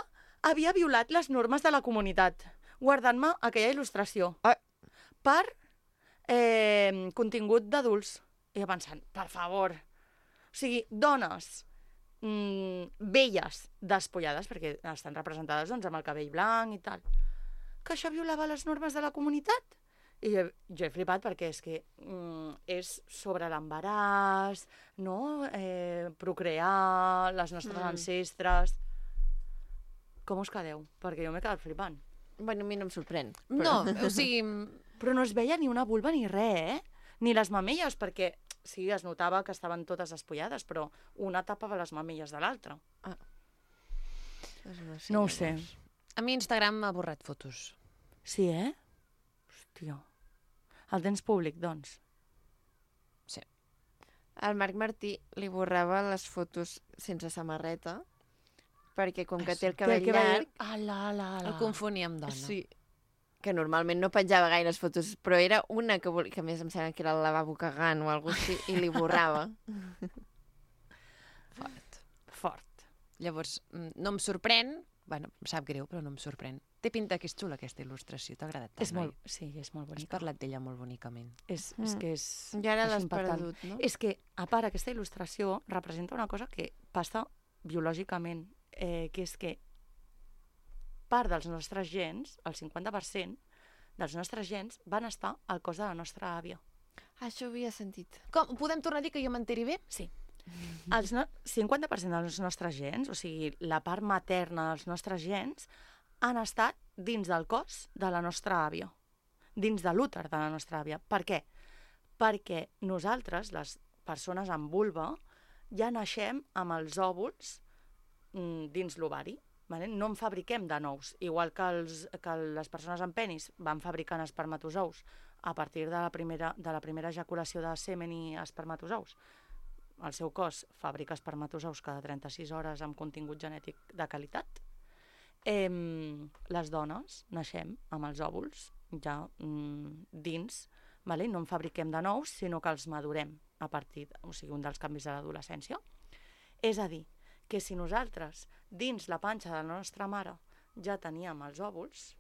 havia violat les normes de la comunitat, guardant-me aquella il·lustració Ah. per eh, contingut d'adults. I jo pensant, per favor, o sigui, dones mm, velles despullades, perquè estan representades doncs, amb el cabell blanc i tal, que això violava les normes de la comunitat. I jo, jo he flipat perquè és que mm, és sobre l'embaràs, no? Eh, procrear, les nostres Mm. ancestres... Com us quedeu? Perquè jo m'he quedat flipant. Bueno, a mi no em sorprèn. No, o sigui, Però no es veia ni una vulva ni res, eh? Ni les mamelles, perquè sí, es notava que estaven totes despullades, però una tapava les mamelles de l'altra. Doncs no, sé, No ho sé. a mi Instagram m'ha borrat fotos. Sí, eh? Hòstia. El tens públic, doncs? Sí. El Marc Martí li borrava les fotos sense samarreta, perquè com que té el cabell llarg... Ala, ala, ala. El confonia amb dona. Sí, que normalment no penjava gaires fotos, però era una que, vol... que a més em sembla que era el lavabo cagant o alguna cosa així, i li borrava. Fort. Fort. Llavors, mm, no em sorprèn, bueno, em sap greu, però no em sorprèn. Té pinta que és xula aquesta il·lustració, t'ha agradat tant, És molt, oi? sí, és molt Has bonica. parlat d'ella molt bonicament. És, és que és... I ara és l'has impactant. perdut, no? És que, a part, aquesta il·lustració representa una cosa que passa biològicament, eh, que és que part dels nostres gens, el cinquanta per cent dels nostres gens, van estar al cos de la nostra àvia. Això ho havia sentit. Com, podem tornar a dir que jo m'enteri bé? Sí. El no... cinquanta per cent dels nostres gens, o sigui, la part materna dels nostres gens, han estat dins del cos de la nostra àvia, dins de l'úter de la nostra àvia. Per què? Perquè nosaltres, les persones amb vulva, ja naixem amb els òvuls mm, dins l'ovari. Vale? No en fabriquem de nous, igual que, els, que les persones amb penis van fabricant espermatozous a partir de la primera, de la primera ejaculació de semen i espermatozous. El seu cos fabrica espermatozous cada trenta-sis hores amb contingut genètic de qualitat. Eh, les dones naixem amb els òvuls ja mm, dins, vale? No en fabriquem de nous, sinó que els madurem a partir, o sigui, un dels canvis de l'adolescència. És a dir, que si nosaltres dins la panxa de la nostra mare ja teníem els òvuls,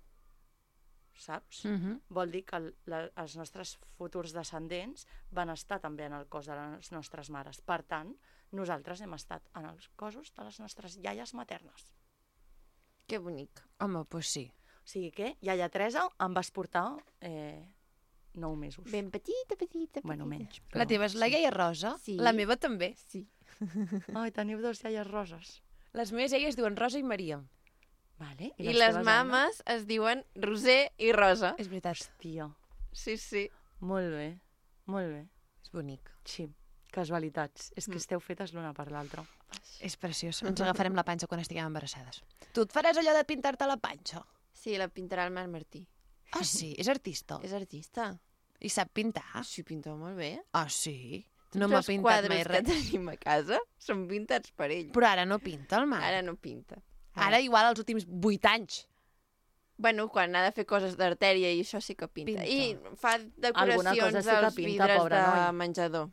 saps? Mhm. Vol dir que el, la, els nostres futurs descendents van estar també en el cos de les nostres mares. Per tant, nosaltres hem estat en els cossos de les nostres iaies maternes. Que bonic. Home, doncs pues sí. O sigui que, iaia Teresa, em vas portar eh, nou mesos. Ben petita, petita, petita. Bueno, menys. La teva és la iaia Rosa? Sí. La meva també. Sí. Ai, teniu dos iaies roses. Les meves iaies diuen Rosa i Maria. Vale. I, I les teves, mames Anna? es diuen Roser i Rosa. És veritat. Hòstia, Sí, sí. molt bé, molt bé. És bonic. Sí, casualitats. És que Mm. esteu fetes l'una per l'altra. És preciós. Ens agafarem la panxa quan estiguem embarassades. Tu et faràs allò de pintar-te la panxa? Sí, la pintarà el Marc Martí. Ah, sí? És artista? És artista. I sap pintar? Sí, pinta molt bé. Ah, sí? No Tots m'ha els pintat quadres mai que res. tenim a casa són pintats per ell. Però ara no pinta el Marc. Ara no pinta. Ara igual els últims vuit anys. Bueno, quan ha de fer coses d'artèria i això sí que pinta. Pinta. I fa Alguna cosa decoracions sí que als pinta, vidres pobre de noi. menjador.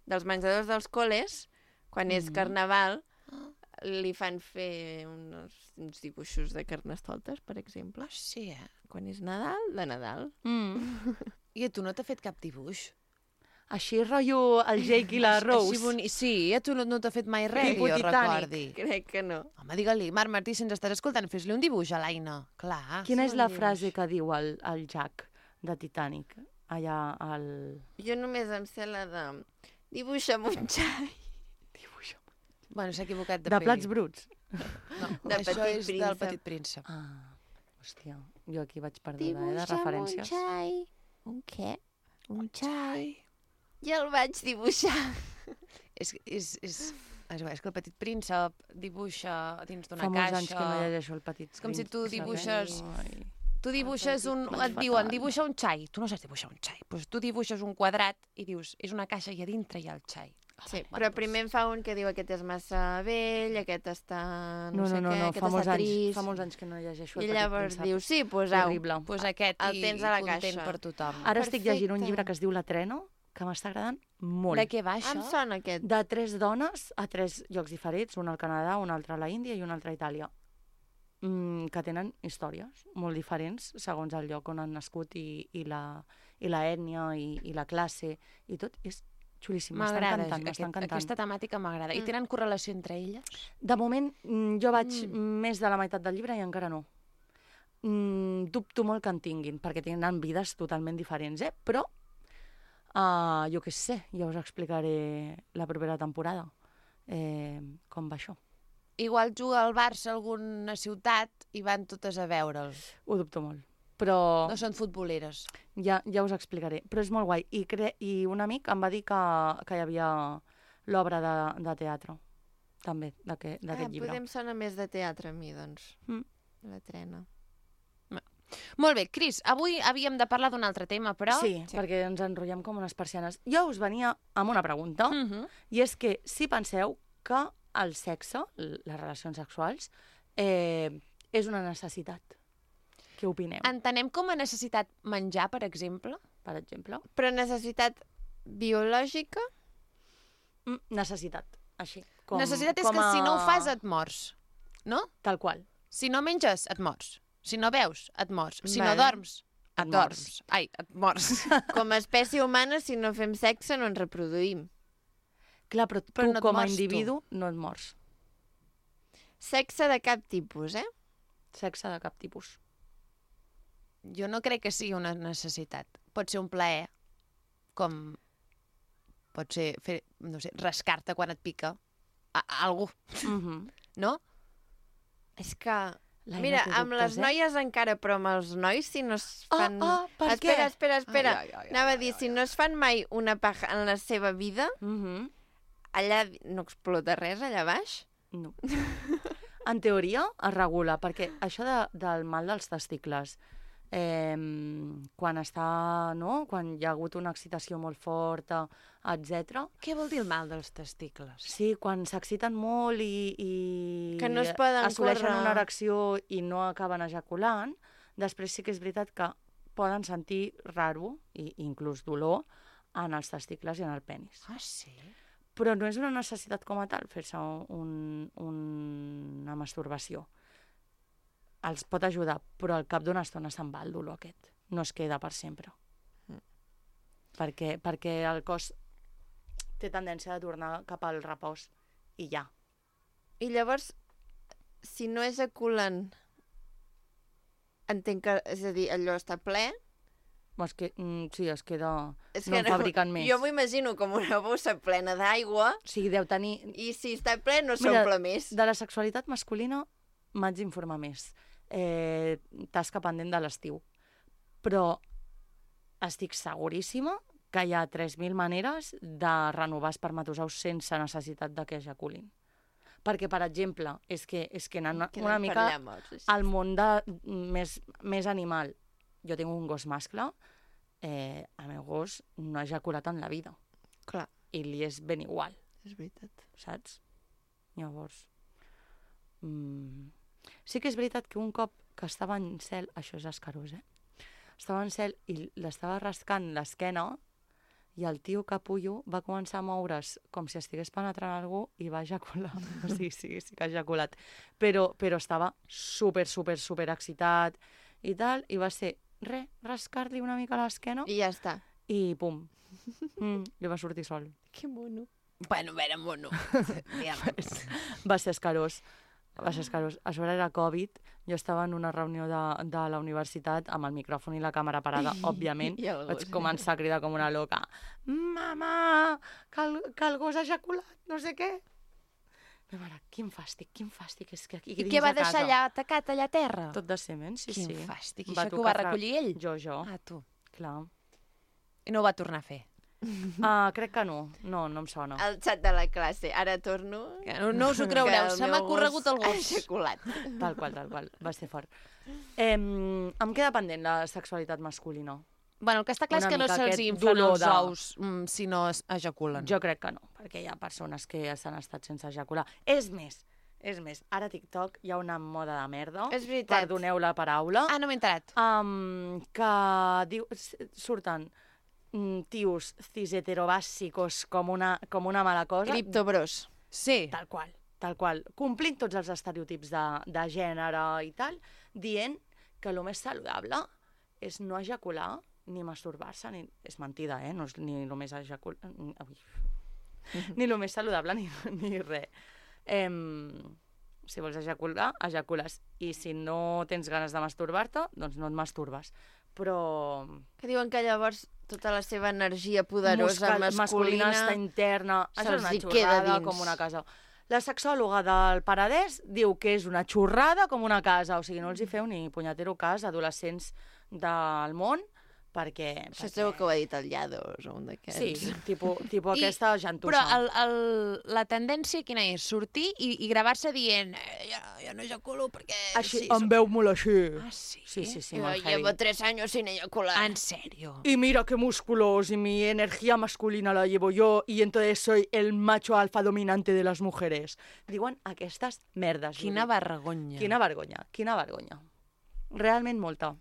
Dels menjadors dels col·les, quan és Mhm. carnaval, li fan fer uns, uns dibuixos de carnestoltes, per exemple. Ah, sí, eh? Quan és Nadal, de Nadal. Mm. I a tu no t'ha fet cap dibuix? Així rotllo el Jake i la Rose. Així boni... Sí, a tu no, no t'ha fet mai res, Tipus que jo Titanic. recordi. Crec que no. Home, digue-li, Marc Martí, si ens estàs escoltant, fes-li un dibuix a l'Aina. Clar. Quina és Sí, la un frase dibuix. que diu el, el Jack de Titanic? Allà al... Jo només em sé la de... Dibuixa'm un xai. Bueno, s'ha equivocat de, De peli. plats bruts. No, De això Petit és Príncep. del Petit Príncep. Ah, hòstia, jo aquí vaig perduda, eh, de referències. un xai. Un què? Un xai. I el vaig dibuixar. És, és, és, és, és que el Petit Príncep dibuixa dins d'una Fa molts caixa... anys que no llegeixo el Petit És com si tu Príncep, eh? dibuixes- Ai. Tu dibuixes un... Fatal. Et diuen, dibuixa un xai. Tu no saps dibuixar un xai. Doncs tu dibuixes un quadrat i dius, és una caixa i a dintre hi ha el xai. Sí, Bueno, però primer em fa un que diu aquest és massa vell, aquest està... No, No, sé no, no, què, no, aquest fa molts, està anys, trist. fa molts anys que no llegeixo el I Petit llavors Príncep. diu, sí, pues au. Horrible. Doncs pues aquest El i, tens a la content caixa. per tothom. Ara estic llegint un Perfecte. llibre que es diu La Trena, que m'està agradant molt. De què va Em això? sona aquest. De tres dones a tres llocs diferents, un al Canadà, un altre a la Índia i un altre a Itàlia, mm, que tenen històries molt diferents segons el lloc on han nascut i, i, la, i la ètnia i, i la classe i tot. És xulíssim, m'està M'agrada, encantant, m'està aquest, encantant. aquesta temàtica m'agrada. I Mm. tenen correlació entre elles? De moment, mm, jo vaig Mm. més de la meitat del llibre i encara no. Mm, dubto molt que en tinguin, perquè tenen vides totalment diferents, eh? Però, uh, jo què sé, ja us explicaré la propera temporada eh, com va això. Igual juga al Barça a alguna ciutat i van totes a veure'l. Ho dubto molt. Però No són futboleres. ja, ja us explicaré. Però és molt guai. I, cre I un amic em va dir que, que hi havia l'obra de, de teatre, també, d'aquest Ah, llibre. potser em sona més de teatre a mi, doncs. Mm. La trena. Molt bé, Cris, avui havíem de parlar d'un altre tema, però... Sí, sí, perquè ens enrotllem com unes persianes. Jo us venia amb una pregunta, Uh -huh. i és que si penseu que el sexe, l- les relacions sexuals, eh, és una necessitat. Què opineu, Entenem com a necessitat menjar, per exemple? per exemple? Però necessitat biològica? Mm, necessitat, així. Com, Necessitat és com que a... si no ho fas et mors, no? Tal qual. Si no menges, et mors. Si no beus, et mors. Si Vale. no dorms, et, Et dorms. mors. Ai, et mors. Com a espècie humana, si no fem sexe, no ens reproduïm. Clar, però tu Però no et com a mors, tu. individu no et mors. Sexe de cap tipus, eh? Sexe de cap tipus. Jo no crec que sigui una necessitat. Pot ser un plaer, com pot ser fer, no sé, rascar-te quan et pica a, a algú, Mm -hmm. no? És que... Laia, Mira, té amb les dubtes, eh? noies encara, però amb els nois, si no es fan... Ah, ah, per espera, què? espera, espera. Ai, ai, ai, Anava ai, a dir, ai, si no es fan mai una paja en la seva vida, Mm -hmm. allà no explota res, allà baix? No. En teoria es regula, perquè això de, del mal dels testicles, eh, quan està, no? Quan hi ha hagut una excitació molt forta, etcètera. Què vol dir el mal dels testicles? Sí, quan s'exciten molt i, i Que no es poden assoleixen córrer. una erecció i no acaben ejaculant, després sí que és veritat que poden sentir raro, i inclús dolor, en els testicles i en el penis. Ah, sí? Però no és una necessitat com a tal fer-se un, un, una masturbació. Els pot ajudar, però al cap d'una estona se'n va el dolor aquest. No es queda per sempre. Mm. Perquè, perquè el cos té tendència a tornar cap al repòs i ja. I llavors, si no ejaculen, entenc que, és a dir, allò està ple... Es que, mm, sí, es queda... És no en fabriquen més. Jo m'ho imagino com una bossa plena d'aigua O sigui, deu tenir... i si està ple no Mira, s'omple més. De la sexualitat masculina m'haig d'informar més. Eh, tasca pendent de l'estiu. Però estic seguríssima que hi ha tres mil maneres de renovar espermatozous sense necessitat de que ejaculin. Perquè, per exemple, és que, és que anant Queden una per mica allà morts, així. al món de, més, més animal. Jo tinc un gos mascle, eh, el meu gos no ha ejaculat en la vida. Clar, I li és ben igual, és veritat. saps? Llavors... Mm, sí que és veritat que un cop que estava en cel, això és escarós, eh? Estava en cel i l'estava rascant l'esquena i el tio capullo va començar a moure's com si estigués penetrant algú i va ejacular. O sigui, sí, sí que ha ejaculat. Però, però estava super, super, super excitat i tal, i va ser, re, rascar-li una mica l'esquena I ja està. i pum. Mm, li va sortir sol. Que mono. Bueno, a veure, mono. Va ser escarós. Va ser escarós. A sobre era Covid, jo estava en una reunió de, de la universitat amb el micròfon i la càmera parada, òbviament. I el Vaig gos. començar a cridar com una loca. Mama, que el, que el gos ha ejaculat, no sé què. Meva mare, quin fàstic, quin fàstic, és que aquí I dins què va de deixar casa... allà tacat, allà a terra? Tot de cement, sí, Quin sí. fàstic. I Va això que ho tocar va fra- recollir ell? Jo, jo, Ah, tu. clar. I no ho va tornar a fer. Ah, crec que no, no, no em sona. El xat de la classe. Ara torno... Que no, no us ho creureu, que el se m'ha meu corregut el Ha gos. ejaculat. Tal qual, tal qual, va ser fort. Eh, em queda pendent la sexualitat masculina. Bueno, el que està clar Una és que no mica se'ls aquest inflen dolor els de- ous mm, si no es ejaculen. Jo crec que no, perquè hi ha persones que s'han estat sense ejacular. És més, és més, ara a TikTok hi ha una moda de merda, És veritat. perdoneu la paraula, Ah, no m'he enterat. um, que diu, s- surten mm, tios cis-heterobàssicos com una, com una mala cosa. Criptobros. Sí. Tal qual, tal qual. Complint tots els estereotips de, de gènere i tal, dient que el més saludable és no ejacular ni masturbar-se, ni... és mentida, eh? No és ni el més ejacular... Ui. Ni el més saludable ni, ni res. Em... Si vols ejacular, ejacules. I si no tens ganes de masturbar-te, doncs no et masturbes. Però... Que diuen que llavors tota la seva energia poderosa Muscal- masculina... està interna. Això és se'ls una hi queda xorrada dins. com una casa. La sexòloga del Paradès diu que és una xorrada com una casa. O sigui, no els hi feu ni punyetero cas a adolescents del món, perquè... Això segur que ho ha dit el Llados o un d'aquests. Sí, tipus, tipus I- aquesta gentussa. Però el, el, la tendència quina és? Sortir i, i gravar-se dient eh, ja, jo no ejaculo perquè... Així, sí, em som- veu molt així. Ah, sí? Sí, sí, sí, Yo molt llevo heavy. tres años sin eyacular. En sèrio? Y mira qué músculos, y mi energía masculina la llevo yo, y entonces soy el macho alfa dominante de les mujeres. Diuen aquestes merdes. Quina vull dir. vergonya. Quina vergonya, quina vergonya. Realment molta.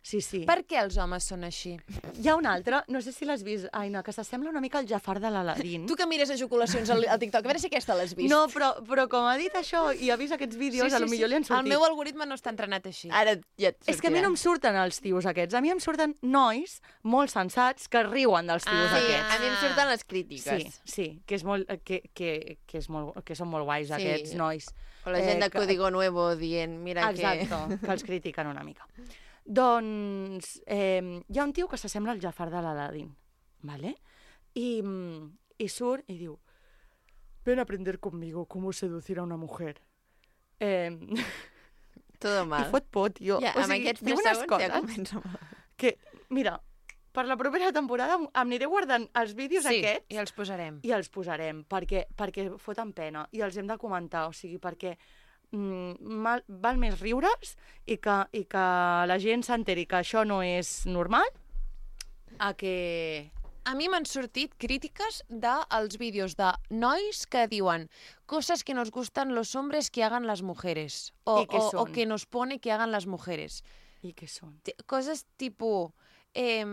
Sí, sí. Per què els homes són així? Hi ha una altra, no sé si l'has vist, Aina, que s'assembla una mica al Jafar de l'Aladín. Tu que mires ejaculacions al, al TikTok, a veure si aquesta l'has vist. No, però, però com ha dit això i ha vist aquests vídeos, a lo millor li han sortit. El meu algoritme no està entrenat així. Ara ja et És que a mi sortirà. no em surten els tios aquests, a mi em surten nois molt sensats que riuen dels tios Sí, aquests. a mi em surten les crítiques. Sí, sí, que, és molt, que, que, que, és molt, que són molt guais Sí. aquests nois. O la gent Eh, de que- Código Nuevo dient, mira Exacto, que els critiquen una mica. Doncs eh, hi ha un tio que s'assembla al Jafar de l'Aladín, ¿vale? I, mm, i surt i diu, ven a aprender conmigo cómo seducir a una mujer. Eh, que... Todo mal. I fot por, tio. Ja, o amb sigui, aquests diu tres unes segons coses ja comença mal. que, mira, per la propera temporada em aniré guardant els vídeos Sí, aquests i els posarem. i els posarem, perquè, perquè foten pena i els hem de comentar, o sigui, perquè mm, mal, val més riure's i que, i que la gent s'enteri que això no és normal a que... A mi m'han sortit crítiques dels vídeos de nois que diuen cosas que nos gustan los hombres que hagan las mujeres o, ¿Y qué o, o son? que nos pone que hagan las mujeres. I què són? T- Coses tipo... Eh...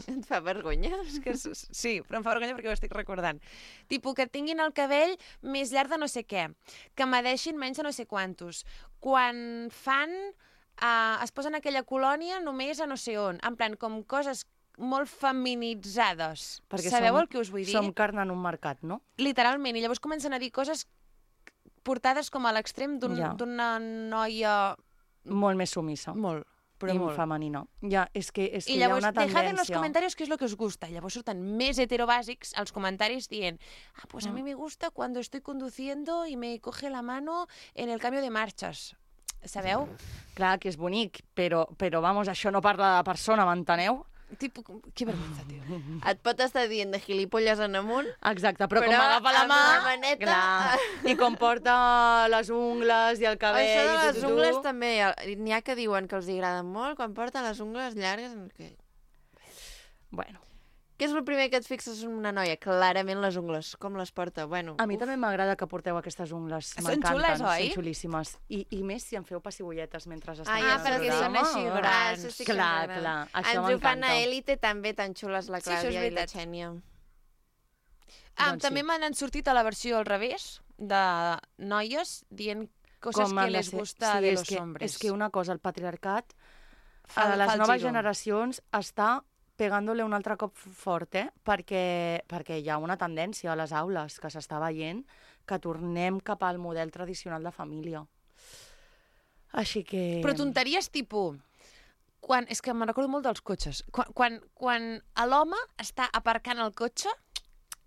Et fa vergonya? És que s- sí, però em fa vergonya perquè ho estic recordant. Tipo, que tinguin el cabell més llarg de no sé què, que medeixin menys de no sé quantos. Quan fan... Uh, es posen aquella colònia només a no sé on. En plan, com coses molt feminitzades. Perquè Sabeu som, el que us vull dir? Som carn en un mercat, no? Literalment. I llavors comencen a dir coses portades com a l'extrem d'un- Ja. d'una noia... Molt més sumissa. Molt, però I molt. femenina. Ja, és que, és que I hi ha llavors, una dejad en los tendència... comentarios qué es lo que os gusta. I llavors surten més heterobàsics als comentaris dient ah, pues a mí me gusta cuando estoy conduciendo y me coge la mano en el cambio de marchas. Sabeu? Clar, que és bonic, però, però vamos, això no parla de persona, m'enteneu? Tipo, que vergüenza, tio. Et pot estar dient de gilipolles en amunt, Exacte, però, Però com m'agafa la amb mà... la maneta- Clar, i com porta les ungles i el cabell... això de i les tu, tu, tu. ungles també, n'hi ha que diuen que els agraden molt quan porten les ungles llargues. Que... Bueno, Què és el primer que et fixes en una noia? Clarament les ungles, com les porta. Bueno, a mi uf. també m'agrada que porteu aquestes ungles. Són M'encanten, xules, oi? Són xulíssimes. I, I més si em feu pessigolletes mentre estem Ah, fent ja, el perquè programa. són així Ah, grans. això sí que Clar, m'agrada. clar, això Ens ho fan m'encanta. a Élite també tan xules la Sí, això és Clàudia i la veritat. Xènia. Ah, Doncs també sí. m'han sortit a la versió al revés, de noies dient coses Com han que de les ser. gusta sí, de és los que, hombres. És que una cosa, el patriarcat Fa- a les fa el noves giro. generacions està pegándole un altre cop fort, eh? perquè, perquè hi ha una tendència a les aules que s'està veient que tornem cap al model tradicional de família. Així que... Però tonteries tipus... Quan, és que me'n recordo molt dels cotxes. Quan, quan, quan l'home està aparcant el cotxe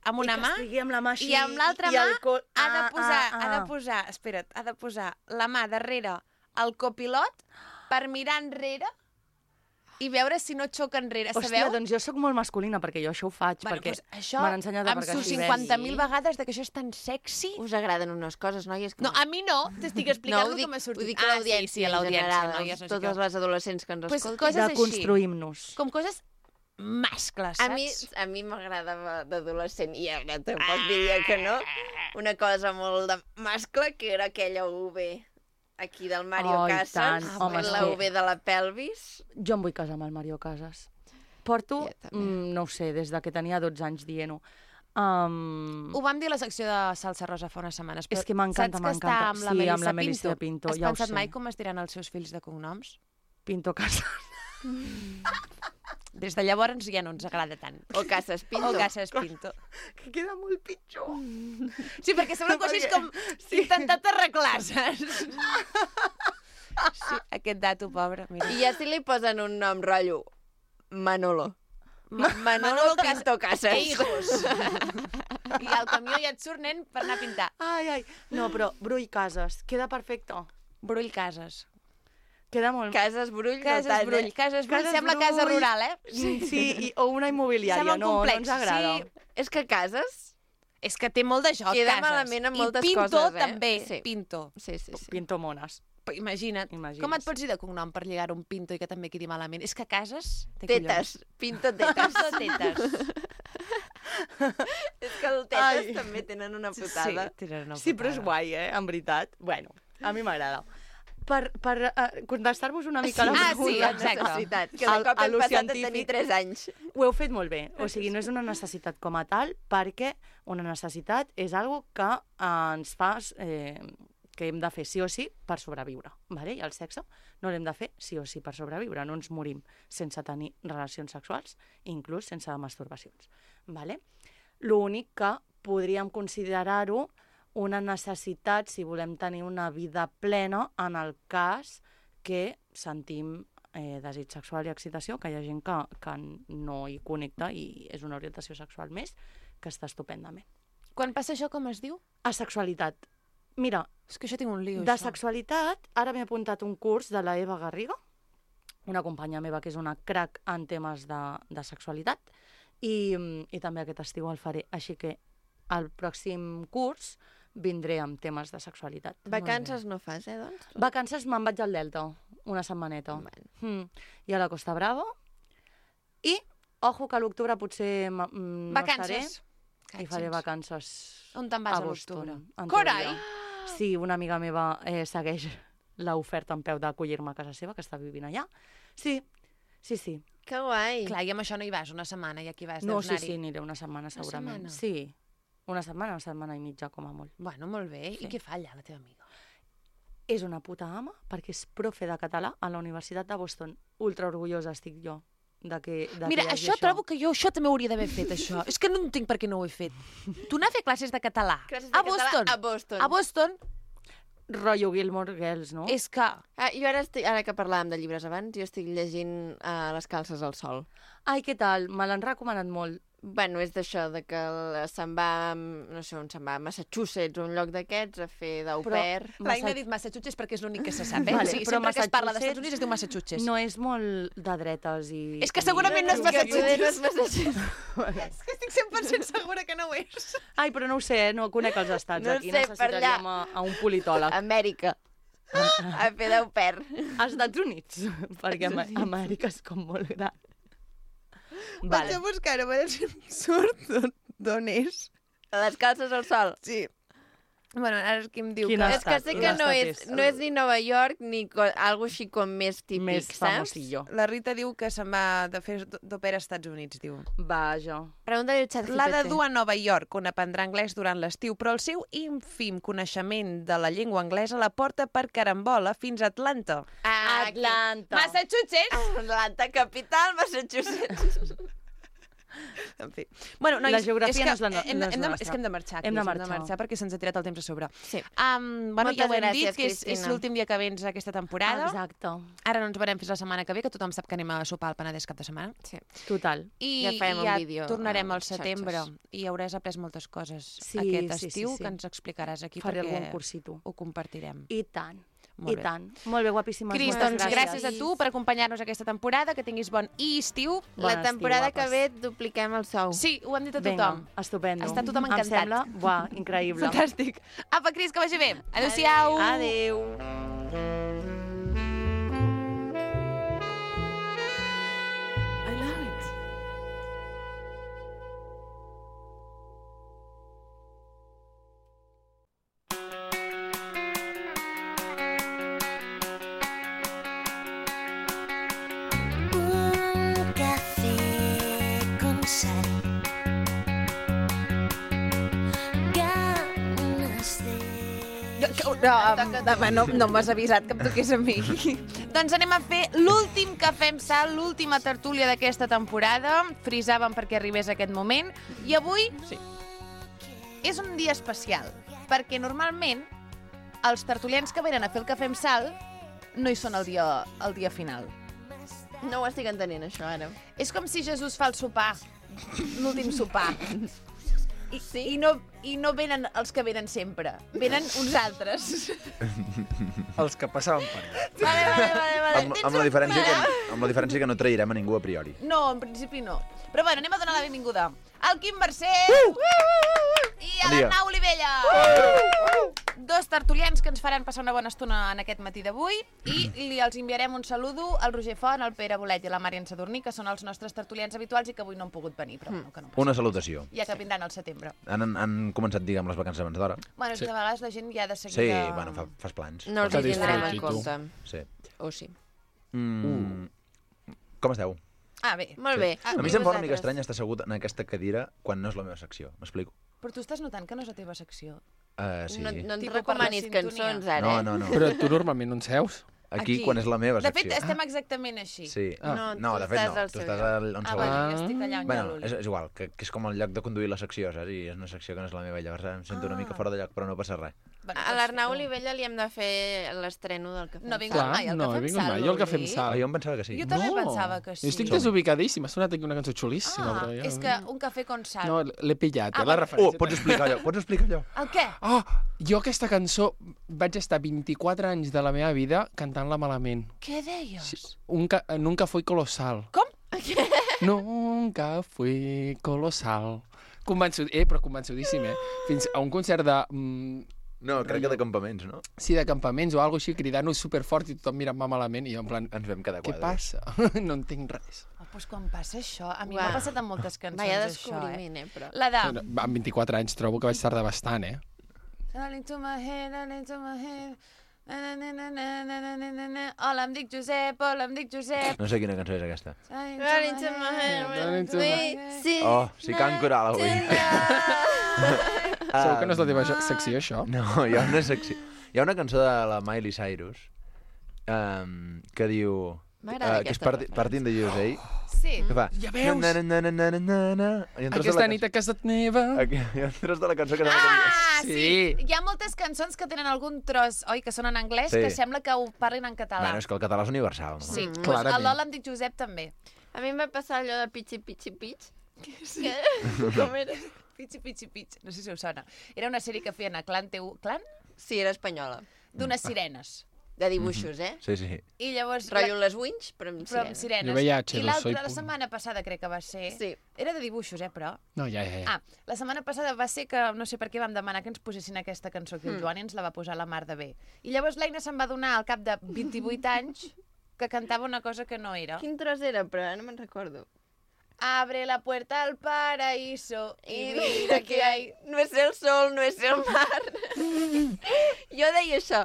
amb una I que mà estigui amb la mà així, i amb l'altra i mà el col- ha de Ah, posar, ah, ha de ah. posar, espera't, ha de posar la mà darrere el copilot per mirar enrere i veure si no xoca enrere, Hòstia, sabeu? doncs jo sóc molt masculina perquè jo això ho faig, Bueno, perquè doncs això, m'han ensenyat a amb aparcar sus així. cinquanta ves. mil vegades de que això és tan sexy. Us agraden unes coses, noies? Que No, a mi no, t'estic explicant ho el dic, que m'ha sortit. Ho dic a Ah, l'audiència, sí, sí, a l'audiència, en general, noies, no sé totes què. les adolescents que ens Pues escolten. coses així. Deconstruïm-nos. Com coses mascles, A saps? mi, a mi m'agradava d'adolescent, i ara tampoc diria que no, una cosa molt de mascle, que era aquella U V aquí del Mario Oh, i Casas, tant. Home, la és U V de la pelvis. Jo em vull casar amb el Mario Casas. Porto, Jo també. mm, no ho sé, des de que tenia dotze anys dient-ho. Um, Ho vam dir a la secció de Salsa Rosa fa unes setmanes. És però que m'encanta, saps que està m'encanta. amb la Sí, Melissa amb la Melissa Pinto? Pinto, Has ja ho pensat sé. mai com es diran els seus fills de cognoms? Pinto Casas. Des de llavors ja no ens agrada tant. O Casas Pinto. O Casas Pinto. Que queda molt pitjor. Sí, perquè sembla que ho hagis com Sí. intentat arreglar, saps? Sí, aquest dato, pobre, mira. I ja si li posen un nom rotllo, Manolo. Ma Manolo, Manolo Cas- Pinto Casas. Eh, hijos. I al camió ja et surt, nen, per anar a pintar. Ai, ai. No, però Brull Casas, queda perfecte. Brull Cases. Queda molt... Cases Brull, Cases no tant, Brull, eh? Cases Brull, Cases sembla casa Brull. rural, eh? Sí, sí i, o una immobiliària, Sembla un no, complex, no ens agrada. sí. És que Cases És que té molt de joc, Queda Cases. malament amb moltes I Pinto coses, eh? també, Sí. Pinto. Sí, sí, sí. Pinto mones. Però imagina't, Imagines. com et pots dir de cognom per lligar un Pinto i que també quedi malament? És que Cases té Tetes. Pinto tetes. Pinto tetes. És que el tetes Ai. també tenen una putada. Sí, tenen una Sí, però és putada. guai, eh? En veritat. Bueno, a mi m'agrada. Per, per uh, contestar-vos una mica Sí. la Ah, pregunta. sí, exacte. Necessitat, que de Al- cop a hem lo passat a científic. tenir tres anys. Ho heu fet molt bé. O sigui, no és una necessitat com a tal, perquè una necessitat és algo que eh, ens fa... Eh, que hem de fer sí o sí per sobreviure. Vale? I el sexe no l'hem de fer sí o sí per sobreviure. No ens morim sense tenir relacions sexuals, inclús sense masturbacions. Vale? L'únic que podríem considerar-ho una necessitat si volem tenir una vida plena en el cas que sentim eh, desig sexual i excitació, que hi ha gent que, que no hi connecta i és una orientació sexual més, que està estupendament. Quan passa això, com es diu? Asexualitat. Mira, És que això tinc un lío, de això. sexualitat, ara m'he apuntat un curs de la Eva Garriga, una companya meva que és una crac en temes de, de sexualitat, i, i també aquest estiu el faré. Així que al pròxim curs vindré amb temes de sexualitat. Vacances no fas, eh, doncs? Vacances me'n vaig al Delta, una setmaneta. Mm. I a la Costa Brava. I, ojo, que a l'octubre potser m- mm, no Vacances. estaré. I faré vacances On te'n vas a Boston, l'octubre? en Carai! teoria. Sí, una amiga meva eh, segueix l'oferta en peu d'acollir-me a casa seva, que està vivint allà. Sí, sí, sí. Que guai. Clar, i amb això no hi vas una setmana, i aquí vas, No, deus sí, anar-hi. sí, aniré una setmana segurament. setmana? Sí, una setmana, una setmana i mitja, com a molt. Bueno, molt bé. Sí. I què fa allà, la teva amiga? És una puta ama, perquè és profe de català a la Universitat de Boston. Ultra orgullosa estic jo de que, de Mira, que hi hagi això trobo que jo això també ho hauria d'haver fet, això. És que no entenc per què no ho he fet. Tu anar a fer classes de català Classes de a català Boston. a Boston. A Boston Rotllo Gilmore Girls, no? és que... Ah, jo ara, estic, ara que parlàvem de llibres abans, jo estic llegint uh, Les calces al sol. Ai, què tal? Me l'han recomanat molt. Bueno, és d'això, de que el- se'n va, no sé on se'n va, a Massachusetts, un lloc d'aquests, a fer d'au Però- pair. L'Aina ha dit Massachusetts perquè és l'únic que se sap, eh? Vale, o sigui, però sempre que es parla dels Massachusetts Estats Units es diu Massachusetts. No és molt de dretes i... És que segurament no és Que poder no és Massachusetts. Massachusetts. És que estic cent per cent segura que no ho és. Ai, però no ho sé, eh? No conec els estats. No Aquí sé, per necessitaríem a, a un politòleg. Amèrica. A fer d'au pair. Als Estats Units, perquè Am Amèrica és com molt gran. Vaig a buscar-ho, a veure si em surt d'on és. A les calces al sol. Sí. Bueno, ara és qui em diu Quin que... És que sé Quin que no estat és, és? no és ni Nova York ni co algo així com més típic, Més saps? famosillo. La Rita diu que se'n va de fer d'òpera als Estats Units, diu. Vaja. Pregunta-li al xat G P T. L'ha de dur a Nova York, on aprendrà anglès durant l'estiu, però el seu ínfim coneixement de la llengua anglesa la porta per carambola fins a Atlanta. Ah, Atlanta. Massachusetts! Atlanta, capital, Massachusetts. En fi. Bueno, nois, La geografia és que no és la no- hem, no de, és hem, de, nostra. és que hem de marxar, Hem de Cris, marxar. hem de marxar perquè se'ns ha tirat el temps a sobre. Sí. Um, bueno, Moltes ja ho hem gràcies, dit, que és, és Cristina. l'últim dia que vens aquesta temporada. Exacte. Ara no ens veurem fins la setmana que ve, que tothom sap que anem a sopar al Penedès cap de setmana. Sí. Total. I Ja farem i un ja vídeo tornarem a al les setembre xarxes. i hauràs après moltes coses Sí, aquest sí, sí, estiu sí. que ens explicaràs aquí Faré perquè algun cursito. ho compartirem. I tant. Molt I bé. tant. Molt bé, guapíssimes. Cris, moltes doncs gràcies a tu per acompanyar-nos aquesta temporada, que tinguis bon estiu. La Bon temporada estiu, que guapes. ve et dupliquem el sou. Sí, ho hem dit a Vinga, tothom. estupendo. Està tothom Em encantat. sembla, buah, increïble. Fantàstic. Apa, Cris, que vagi bé. Adéu-siau. Adéu. I love it. Un café con sal. Ganas de... No, no, no, no m'has avisat que em toqués a mi. Doncs anem a fer l'últim Cafè amb Sal, l'última tertúlia d'aquesta temporada. Frisàvem perquè arribés aquest moment. I avui sí. és un dia especial, perquè normalment els tertulians que venen a fer el Cafè amb Sal no hi són el dia, el dia final. No ho estic entenent, això, ara. És com si Jesús fa el sopar, l'últim sopar. I, sí? I, no, I no venen els que venen sempre, venen uns altres. Els que passaven per allà. Vale, vale, vale, vale. Amb, amb, la diferència que, amb la diferència que no trairem a ningú a priori. No, en principi no. Però bueno, anem a donar la benvinguda al Quim Mercè. Uh! Uh, uh, uh. I a l'Arnau Olivella! Uh! Dos tertulians que ens faran passar una bona estona en aquest matí d'avui i li els enviarem un saludo al Roger Font, al Pere Bolet i a la Marian Sadurní, que són els nostres tertulians habituals i que avui no han pogut venir, però no, que no passa. Una salutació. Ja que vindran al setembre. Han, han començat, diguem, les vacances abans d'hora. Bueno, és Sí. que de vegades la gent ja de seguida... Sí, bueno, fa, fas plans. No els hi tindrem en compte. Sí. O sí. Mm, Com esteu? Ah, bé. Molt bé. A mi se'm fa una mica estrany estar assegut en aquesta cadira quan no és la meva secció. M'explico? Però tu estàs notant que no és la teva secció. Uh, sí. No, no ens Tipo per la recomanis sintonia. cançons, ara, No, eh? no, no. Però tu normalment on seus? Aquí, quan és la meva De secció. fet, estem exactament així. Sí. Ah. No, No, de tu fet estàs no. al Tu seu estàs lloc. al- on Ah, sou bueno, ells. jo estic allà on hi ha bueno, l'Uli. és, és igual, que, que és com el lloc de conduir la secció, saps? I és una secció que no és la meva, llavors em sento una mica fora de lloc, però no passa res. A l'Arnau Olivella li hem de fer l'estreno del Cafè No ha amb vingut Sal. mai al no, Cafè he amb vingut Sal, mai, jo al Cafè amb Uli. Sal. Ah, jo em pensava que sí. Jo també pensava que sí. Jo estic desubicadíssim, ha sonat aquí una cançó xulíssima. Ah, però jo... és que un cafè con sal. No, l'he pillat, Ah, eh, la bueno. referència. Oh, pots explicar allò? Pots explicar allò? El què? Oh, jo aquesta cançó vaig estar vint-i-quatre anys de la meva vida cantant-la malament. Què deies? Sí, un ca nunca fui colosal. Com? Nunca fui colosal. Convençut, eh, però convençudíssim, eh? Fins a un concert de... Mm, No, crec que de campaments, no? sí, de campaments o alguna així, cridant-ho superfort i tothom mirant-me malament i jo en plan... Ens vam quedar Què quadres. passa? No entenc res. Oh, doncs quan passa això, a mi Uau. m'ha passat amb moltes cançons, Vaya això, descobriment, eh? eh, però. La de... Amb vint-i-quatre anys trobo que vaig tardar bastant, eh? Darling to my head, darling to my head. Na, na, na, na, na, na, na, na, na. Hola, em dic Josep, hola, em dic Josep. No sé quina cançó és aquesta. Darling to my head, sweet, sí. Oh, si can coral avui. Segur que no és la teva jo- secció, això? No, hi ha una secció... Hi ha una cançó de la Miley Cyrus um, que diu... M'agrada uh, que és aquesta parti, Parting de U S A. Sí. Que fa... Ja veus? Na, na, na, na, na, na, na. I en tros de Aquesta la nit a casa meva... Aquí, hi ha un tros de la cançó que sembla que diu... Ah, sí. Sí. Hi ha moltes cançons que tenen algun tros, oi, que són en anglès, Sí. que sembla que ho parlin en català. Bueno, és que el català és universal, no? Sí, Mm. doncs Clarament. el Lola em dic Josep també. A mi em va passar allò de pitxi, pitxi, pitx. Que... Com era? Pitxi, pitxi, pitxi. No sé si us sona. Era una sèrie que feien a Clan T V, Clan? Sí, era espanyola. D'unes sirenes. De dibuixos, eh? Sí, sí. I llavors... Rotllo les Winch, però amb Però amb sirena. sirenes. Jo veia I H dos O i l'altra, la punt. setmana passada crec que va ser... Sí. Era de dibuixos, eh, però... No, ja, ja, ja. Ah, la setmana passada va ser que, no sé per què vam demanar que ens posessin aquesta cançó aquí el Mm. Joan i ens la va posar la mar de bé. I llavors l'Aina se'n va donar al cap de vint-i-vuit anys que cantava una cosa que no era. Quin tros era, però ara no me'n recordo. Abre la puerta al paraíso y mira que hay... No és el sol, no és el mar. Jo deia això.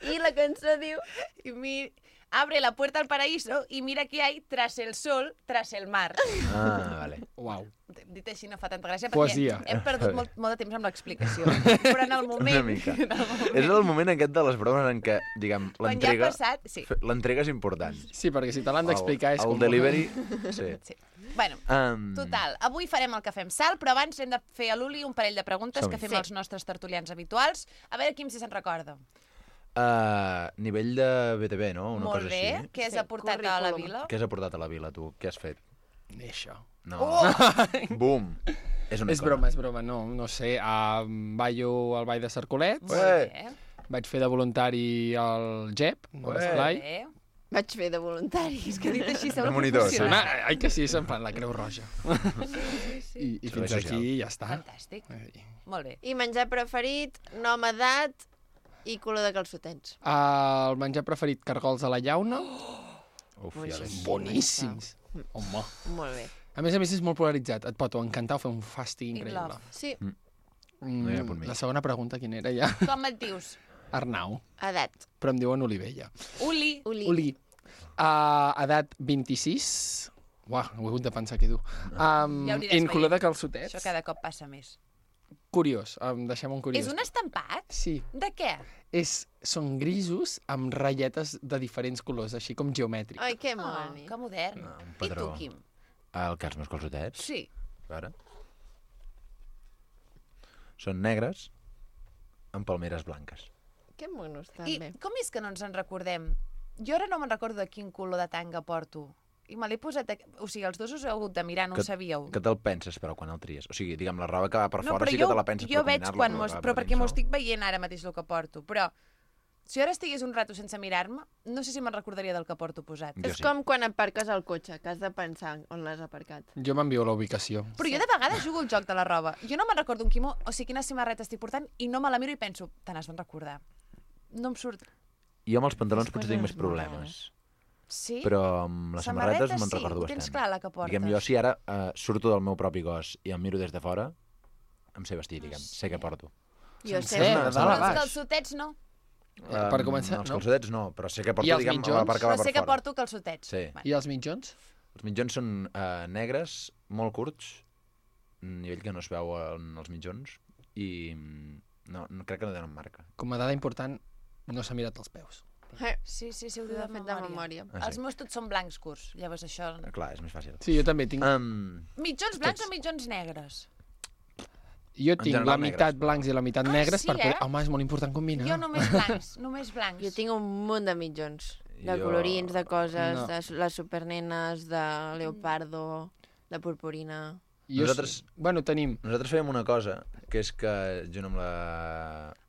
I la cançó diu... Y mi... Abre la puerta al paraíso y mira que hay tras el sol, tras el mar. Ah, vale. Uau. Dit així no fa tanta gràcia Poesia. perquè hem perdut molt, molt de temps amb l'explicació. Però en el moment... Una mica. en el moment És el moment aquest de les bromes en què, diguem, quan ja ha l'entrega... passat... Sí. fe- L'entrega és important. Sí, perquè si te l'han d'explicar és el, com... el delivery... Sí. sí. Bueno, Um, total, avui farem el cafè amb sal, però abans hem de fer a l'Uli un parell de preguntes Som-hi. que fem Sí. als nostres tertulians habituals. A veure quin si se'n recorda. Uh, nivell de B T V, no? Una Molt cosa bé. així. Què has Sí, aportat a la currículum. vila? Què has aportat a la vila, tu? Què has fet? Això. No. Oh! Bum! És una És cosa. broma, és broma, no, no sé. Uh, ballo al Ball de Cercolets, Molt Ué. bé. vaig fer de voluntari al G E P, a Ué. l'esplai. Bé. Vaig fer de voluntari. És que Dit així sembla De monitor, sí. Sona, professional. ai que sí, és en plan la Creu Roja. I, i Servei fins social. aquí ja està. Fantàstic. Ai. Molt bé. I menjar preferit, nom, edat i color de calçotets. El menjar preferit, cargols a la llauna. Uf, ja ves. Boníssims. Home. Molt bé. A més a més és molt polaritzat. Et pot o encantar o fer un fàstic In increïble. love. Sí, No hi ha punt Mm, mig. la segona pregunta, quina era ja? Com et dius? Arnau, edat. però em diuen Olivella. Uli. Uli. Uli. Uh, edat vint-i-sis. Uah, ho he hagut de pensar que dur. Um, Ja ho aniràs en color de veient. calçotets. Això cada cop passa més. Curiós, um, deixem un curiós. És un estampat? Sí, De què? és, són grisos amb ratlletes de diferents colors, així com geomètrics. Ai, que Oh, moni. que modern. Ah, un I tu, padró. Quim? El que els meus calçotets? Sí. A veure. Són negres amb palmeres blanques. Que monos, I també. com és que no ens en recordem? Jo ara no me'n recordo de quin color de tanga porto. I me l'he posat... a- O sigui, els dos us heu hagut de mirar, no ho sabíeu. Que te'l penses, però, quan el tries? O sigui, diguem, la roba que va per No, fora però sí jo, que te la penses jo per veig combinar-la, quan però mos... va Però per perquè m'ho dins estic veient ara mateix el que porto. Però Si jo ara estigués un rato sense mirar-me, no sé si me'n recordaria del que porto posat. És com quan aparques el cotxe, que has de pensar on l'has aparcat. Jo m'envio la ubicació. Però jo de vegades jugo al joc de la roba. Jo no me'n recordo un quimó, o sigui, quina samarreta estic portant, i no me la miro i penso, te n'has de recordar. No em surt. Jo amb els pantalons potser tinc més problemes. Sí? Però amb les samarretes me'n sí, recordo ho tens bastant. clar, la que portes. Diguem, jo si ara uh, surto del meu propi cos i em miro des de fora, em sé vestir, diguem, sé què porto. Jo sé, Sencer, però els calçotets no. Um, Per començar, els no? calçotets no, però sé que porto, I els diguem, mitjons? la part que va Però per sé que fora. porto calçotets. Sí. I els mitjons? Els mitjons són uh, negres, molt curts, nivell que no es veu en els mitjons, i no, no crec que no tenen marca. Com a dada important, no s'ha mirat els peus. Sí, sí, sí, ho diu de fet de memòria. Ah, sí. Els meus tots són blancs curts, llavors això... Clar, és més fàcil. Sí, jo també tinc... Um, Mitjons blancs o mitjons negres? Jo tinc general, la meitat negres. blancs i la meitat Ah, negres sí, per poder... eh? Home, és molt important combinar. Jo només blancs, només blancs. Jo tinc un munt de mitjons. De Jo- colorins, de coses, No. de les supernenes, de leopardo, de purpurina... Jo, Nosaltres- Bueno, tenim... Nosaltres fèiem una cosa, que és que junt amb la,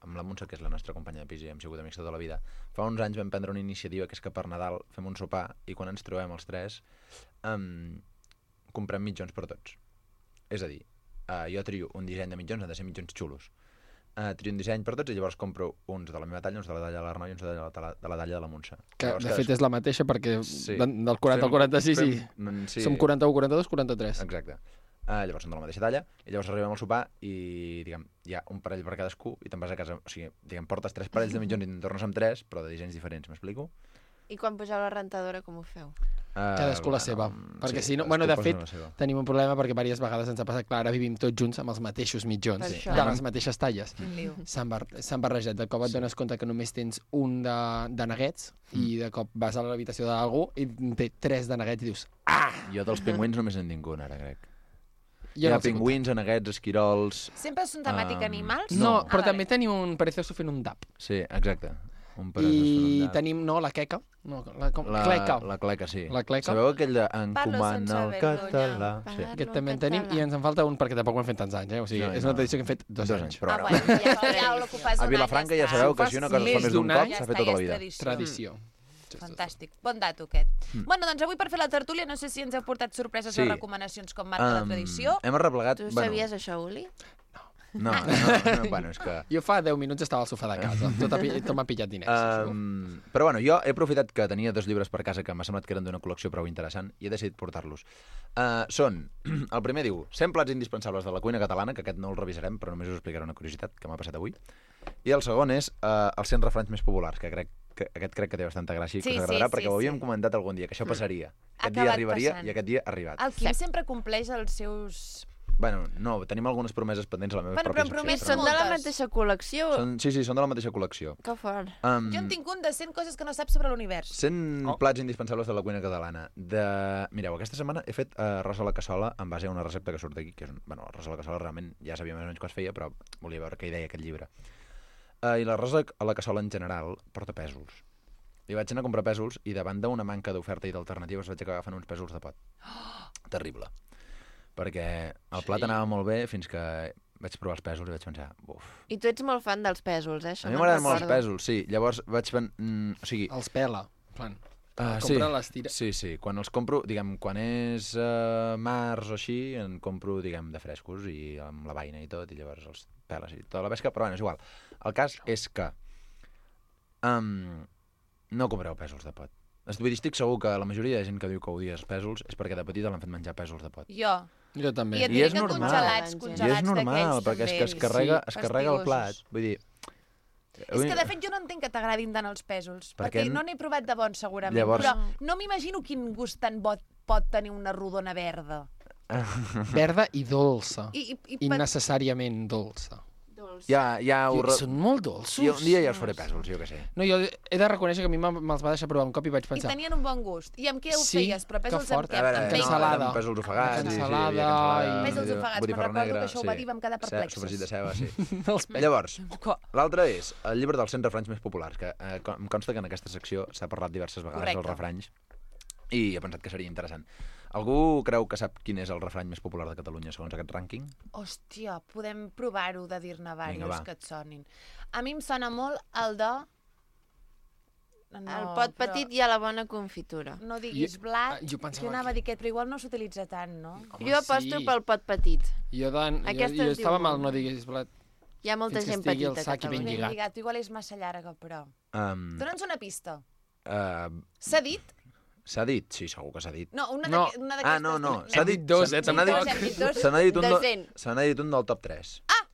amb la Montse, que és la nostra companya de pis i hem sigut amics tota la vida, fa uns anys vam prendre una iniciativa que és que per Nadal fem un sopar i quan ens trobem els tres um, comprem mitjons per tots. És a dir, uh, jo trio un disseny de mitjons, han de ser mitjons xulos. Uh, trio un disseny per tots i llavors compro uns de la meva talla, uns de la talla de l'Arnau i uns de la, de la, de la talla de la Montse. Que, Llavors, de cadascú- fet, és la mateixa perquè Sí. de- del quaranta al Fem- quaranta-sis i fem- sí. som quaranta-u, quaranta-dos, quaranta-tres. Exacte. Uh, llavors són de la mateixa talla, i llavors arribem al sopar i, diguem, hi ha un parell per cadascú i te'n vas a casa, o sigui, diguem, portes tres parells de mitjons i te'n tornes amb tres, però de dissenys diferents, m'explico? I quan poseu la rentadora, com ho feu? Uh, Cadascú la seva. Perquè si no... Bueno, de fet, tenim un problema perquè diverses vegades ens ha passat, clar, ara vivim tots junts amb els mateixos mitjons, Per de això. les mateixes talles. Quin liu. S'han bar s'han barrejat. De cop et dones compte que només tens un de, de neguets i de cop vas a l'habitació d'algú i té tres de neguets i dius... Ah! Jo dels pingüins només en tinc un, ara, crec. Jo Hi ha no els he pingüins, aneguets, esquirols... Sempre són temàtica Um, animals? No, Ah, però vale. també tenim un perezoso fent un dap. Sí, exacte. Un peresós fent un I dap. tenim, no, la queca. No, la, com, La, cleca. la cleca, sí. La cleca. Sabeu aquell de Parlo encomana sense el vergonya. català? Sí. Aquest també en tenim i ens en falta un perquè tampoc ho hem fet tants anys, eh? O sigui, No, és no. una tradició que hem fet dos, Dos anys. anys, però Ah, ara. bueno, ja, ja ho que fas A un Vilafranca any, ja està. sabeu Si que ho si una fas cosa es fa més més d'un d'un cop, any, s'ha Ja fet està, tota ja la és vida. tradició. Tradició. Fantàstic. Bon dato, aquest. Mm. Bueno, doncs avui per fer la tertúlia no sé si ens heu portat sorpreses Sí. o recomanacions com marca la Um, tradició. Hem arreplegat... Tu bueno, sabies això, Uli? No, no, no, bueno, és que... Jo fa deu minuts estava al sofà de casa. Tot, ha pi- tot m'ha pillat diners. això. Um, però bueno, jo he aprofitat que tenia dos llibres per casa que m'ha semblat que eren d'una col·lecció prou interessant i he decidit portar-los. Uh, són, el primer diu, cent plats indispensables de la cuina catalana, que aquest no el revisarem, però només us explicaré una curiositat que m'ha passat avui. I el segon és uh, els cent refranys més populars, que crec que aquest crec que té bastanta gràcia i Sí, que us agradarà, sí, perquè sí, ho havíem sí. comentat algun dia, que això passaria. Ha Aquest dia acabat arribaria passant. i aquest dia ha arribat. El Quim sempre compleix els seus... Bueno, no, tenim algunes promeses pendents a la meva Bueno, pròpia però secció. promeses Són de la moltes. mateixa col·lecció? Són, sí, sí, són de la mateixa col·lecció. Que fort. Um, Jo en tinc un de cent coses que no saps sobre l'univers. cent Oh. plats indispensables de la cuina catalana. De... Mireu, aquesta setmana he fet uh, arròs a la cassola en base a una recepta que surt d'aquí, que és un... Bueno, arròs a la cassola realment ja sabia més o menys què es feia, però volia veure què hi deia aquest llibre. Uh, I l'arròs a la cassola en general porta pèsols. I vaig anar a comprar pèsols i davant d'una manca d'oferta i d'alternatives vaig acabar fent uns pèsols de pot. Terrible. Perquè el plat Sí. anava molt bé fins que vaig provar els pèsols i vaig pensar, uf. I tu ets molt fan dels pèsols, eh? Això A mi me'n m'agraden molt els recordo. pèsols, sí. Llavors vaig pen... Mm, o sigui... Els pela. Plan. Uh, compren les tira- Sí, sí. Quan els compro, diguem, quan és uh, març o així, en compro, diguem, de frescos i amb la vaina i tot, i llavors els peles i tota la pesca, però bueno, és igual. El cas és que um, no compreu pèsols de pot. Vull dir, estic segur que la majoria de gent que diu que odia els pèsols és perquè de petita l'han fet menjar pèsols de pot. Jo. Jo també. I et I diré és que normal. congelats, I congelats és normal, d'aquells perquè és que es també. carrega, Sí, es carrega el plat. fastigosos. Vull dir... És que, de fet, jo no entenc que t'agradin tant els pèsols, Perquè perquè no n'he provat de bons, segurament, Llavors- però no m'imagino quin gust tan bo pot tenir una rodona verda. Verda i dolça. I, i, i, Innecessàriament dolça. Ja, ja ho... I són molt dolços. Jo, un dia ja els faré pèsols, jo què sé. No, jo he de reconèixer que a mi me'ls va deixar provar un cop i vaig I pensar... tenien un bon gust. I amb què ho Sí, feies? Però que pèsols fort. amb què? A veure, Amb no, bacon? Cansalada. eren pèsols ofegats, sí, sí, hi havia Cansalada cansalada, i- Pèsols ofegats, botifarra me'n recordo negra, que això ho va dir i vam quedar Ce- perplexos. Sofregit de ceba, sí. Els pèsols. Llavors, Co- l'altre és el llibre dels cent refranys més populars, que eh, co- em consta que en aquesta secció s'ha parlat diverses vegades Correcte. dels refranys, i he pensat que seria interessant. Algú creu que sap quin és el refrany més popular de Catalunya, segons aquest rànquing? Hòstia, podem provar-ho de dir-ne Vinga, diversos va. que et sonin. A mi em sona molt el de No, el pot però- petit i a la bona confitura. No diguis blat, jo pensava jo anava a dir aquest, però igual no s'utilitza tant, no? Jo aposto pel pot petit. Jo, dan, jo, Aquesta jo es diu estava mal, molt. no diguis blat. Hi ha molta Fins que gent estigui el petita a sac i ben Catalunya. lligat. lligat. Igual és massa llarga, però... Um, Dóna'ns una pista. uh, S'ha dit? S'ha dit? Sí, segur que s'ha dit. No, una No. d'aquestes... Una Ah, no, no. S'ha Hem dit dit dos, se- eh, se n'ha tampoc. dit- Hem dit dos Se n'ha dit un de del- cent. se n'ha dit un del top tres. Ah!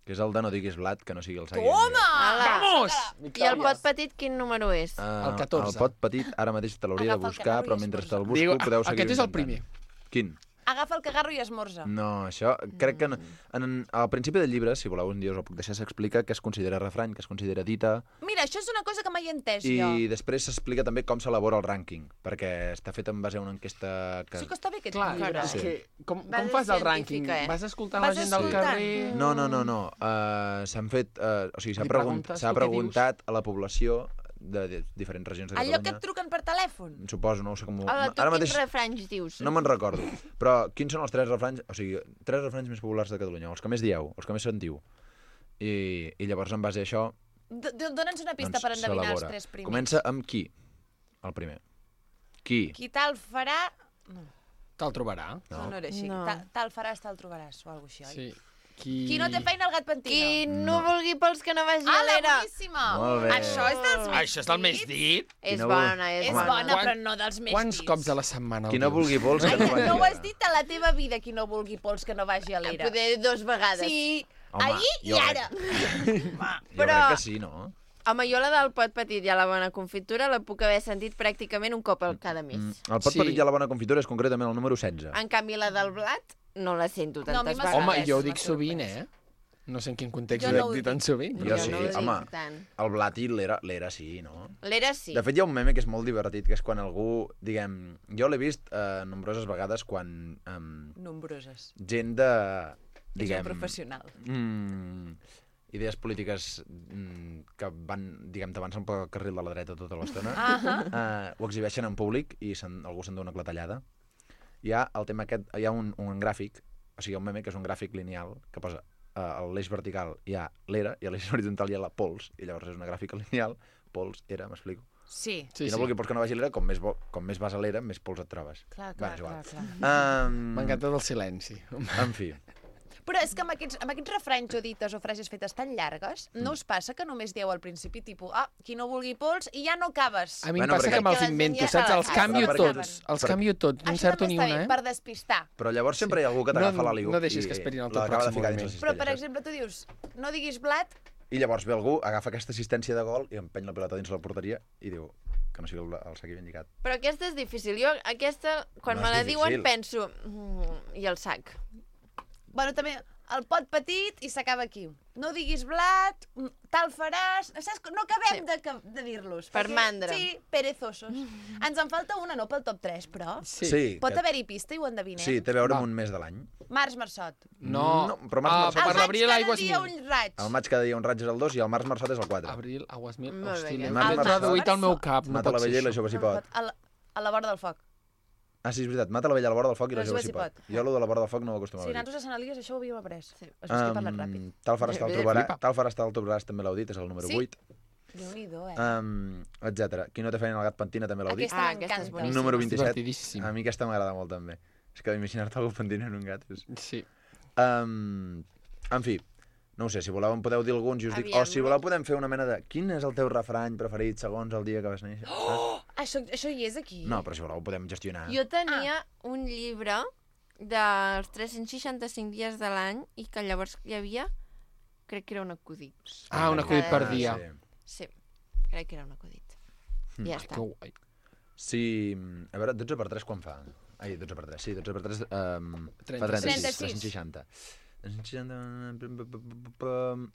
Que és el de no diguis blat, que no sigui el sac. Toma! Vamos! I el pot petit quin número és? Uh, El catorze. El pot petit, ara mateix te l'hauria de Agafa el buscar, cagarro i però mentre te'l busco Diu, podeu seguir aquest és el intentant. primer. Quin? Agafa el cagarro i esmorza. No, això crec que... No. En, al principi del llibre, si voleu un dia us ho puc deixar, s'explica que es considera refrany, que es considera dita, Mira, això és una cosa que mai he entès i jo. després s'explica també com s'elabora el rànquing, perquè està fet en base a una enquesta que... Sí que està bé aquest Clar, llibre. és Sí. que com, Base com fas el rànquing? científica, eh? Vas escoltant Vas la gent del escoltant. carrer? No, no, no, no. Uh, s'han fet... Uh, o sigui, s'ha Li pregunt, preguntes, s'ha tu què preguntat a la població de, de diferents regions de Allò que Catalunya. et truquen per telèfon. Suposo, no ho sé com... ho- Hola, tu Ara quins mateix refranys dius? no me'n recordo. Però quins són els tres refranys... O sigui, tres refranys més populars de Catalunya, els que més dieu, els que més sentiu. I, i llavors, en base a això, D- d- Dóna'ns una pista doncs, per endevinar els s'elabora. tres primers. Comença amb qui? El primer. Qui? Qui tal farà... No, Te'l trobarà. no, no era així. No. Ta- Tal faràs, tal trobaràs, o alguna cosa així, oi? Sí. Qui... Qui no té feina, el gat pentino. Qui no vulgui pels que no vagi a Ah, la l'era. boníssima! Molt bé. Això és dels més Això és el més dit? És no bona, és, És Home, bona, quan- però no dels més Quants dits. cops a la setmana el Qui no dius? vulgui pols, que no vagi. No ho a has dit a la teva vida, qui no vulgui pols, que no vagi a l'era. Poder dos vegades. Sí, Home, ahir i jo ara. Jo Però- crec que sí, no? Home, jo la del pot petit i a la bona confitura la puc haver sentit pràcticament un cop al cada mes. Mm, el pot Sí. petit i a la bona confitura és concretament el número setze. En canvi, la del blat no la sento No, a mi tantes m'ha vegades. Home, sorprès, jo ho m'ha dic sovint, sorprès. eh? No sé en quin context Jo ho no he ho dit tan dic. sovint. Jo Jo sí, no ho dic home. tant. El blat i l'era, l'era sí, no? L'era sí. De fet, hi ha un meme que és molt divertit, que és quan algú, diguem... Jo l'he vist eh, nombroses vegades quan eh, Nombroses. gent de... És Diguem, un professional. Mm, idees polítiques mm, que van, diguem, t'avancen pel carril de la dreta tota l'estona, Ah eh, ho exhibeixen en públic i se'n, algú se'n dona una clatellada. Hi ha el tema aquest, hi ha un, un gràfic, o sigui, un meme que és un gràfic lineal que posa eh, a l'eix vertical hi ha l'era i a l'eix horitzontal hi ha la pols, i llavors és una gràfica lineal, pols, era, m'explico? Sí. Sí, Qui no sí. vulgui pols que no vagi a l'era, com més, bo, com més vas a l'era, més pols et trobes. Clar, Va, clar, és igual. clar, clar. Um, M'encanta del silenci. En fi, Però és que amb aquests, amb aquests refranys o dites o frases fetes tan llargues, no us passa que només dieu al principi, tipus, ah, qui no vulgui pols, i ja no acabes. A mi Bueno, em passa perquè- que me'ls Perquè la gent invento, ja saps? se la Els sap. canvio Perquè- tots. Els perquè- canvio tots, no Això encerto també ni està una, bé, eh? per despistar. però llavors sempre hi ha algú que t'agafa No, l'aliu no deixis i que esperin el teu l'acaba de pròxim ficar dins moviment. la Però, per cistella, saps? exemple, tu dius, no diguis blat, I llavors ve algú, agafa aquesta assistència de gol i empeny la pilota dins la porteria i diu que no sigui el, el sac ben lligat. Però aquesta és difícil. Jo, aquesta, quan No me és la difícil. diuen, penso... Mm, I el sac. bueno, també el pot petit i s'acaba aquí. No diguis blat, mm, tal faràs... Saps? No acabem Sí. de, ca- de dir-los. Per perquè- mandra. Sí, perezosos. Ens en falta una, no pel top tres, però... Sí. Sí, Pot que- haver-hi pista i ho endevinem? sí, té a veure Va. amb un mes de l'any. Març, marçot. No, No, però març, ah, març, per Al maig l'abril cada aigües dia mil. un raig. El maig cada dia un raig és el dos i el març marçot és el quatre. Abril, aigües mil. Molt bé, Hosti, que- l'he Març, març, traduït al meu març. cap. No Mata pot la ser vella i la això. jove s'hi pot. A la, a la vora del foc. Ah, sí, és veritat. Mata la vella a la vora del foc i la La jove jove s'hi s'hi pot. pot. Jo, allò de la vora del foc, no ho acostumava Sí, a dir. nosaltres a Sant Elies això ho havíem après. Sí. És que he parlat ràpid. tal faràs, tal Bé, trobaràs, flipa. tal faràs, tal trobaràs, també l'heu dit, és el número Sí? vuit. Déu-n'hi-do, eh? Um, etcètera. Qui no té feina al gat pentina també l'heu dit. Aquesta Ah, aquesta és m'encanta. boníssima. Número vint-i-set. Divertidíssim. A mi aquesta m'agrada molt també. És que imaginar-te algú pentinant un gat és... Sí. Um, en fi, no ho sé, si voleu en podeu dir alguns i us dic, Aviam. o si voleu podem fer una mena de quin és el teu refrany preferit segons el dia que vas néixer? Oh! Això, això hi és aquí? No, però si voleu ho podem gestionar. Jo tenia un llibre dels tres-cents seixanta-cinc dies de l'any i que llavors hi havia, crec que era un acudit. Ah, un acudit per Ah, dia. sí. Sí, crec que era un acudit. I ja Ai, està. que guai. Sí, a veure, dotze per tres quan fa? Ai, dotze per tres, sí, dotze per tres um, fa trenta-sis. trenta-sis, tres-cents seixanta. tres-cents seixanta...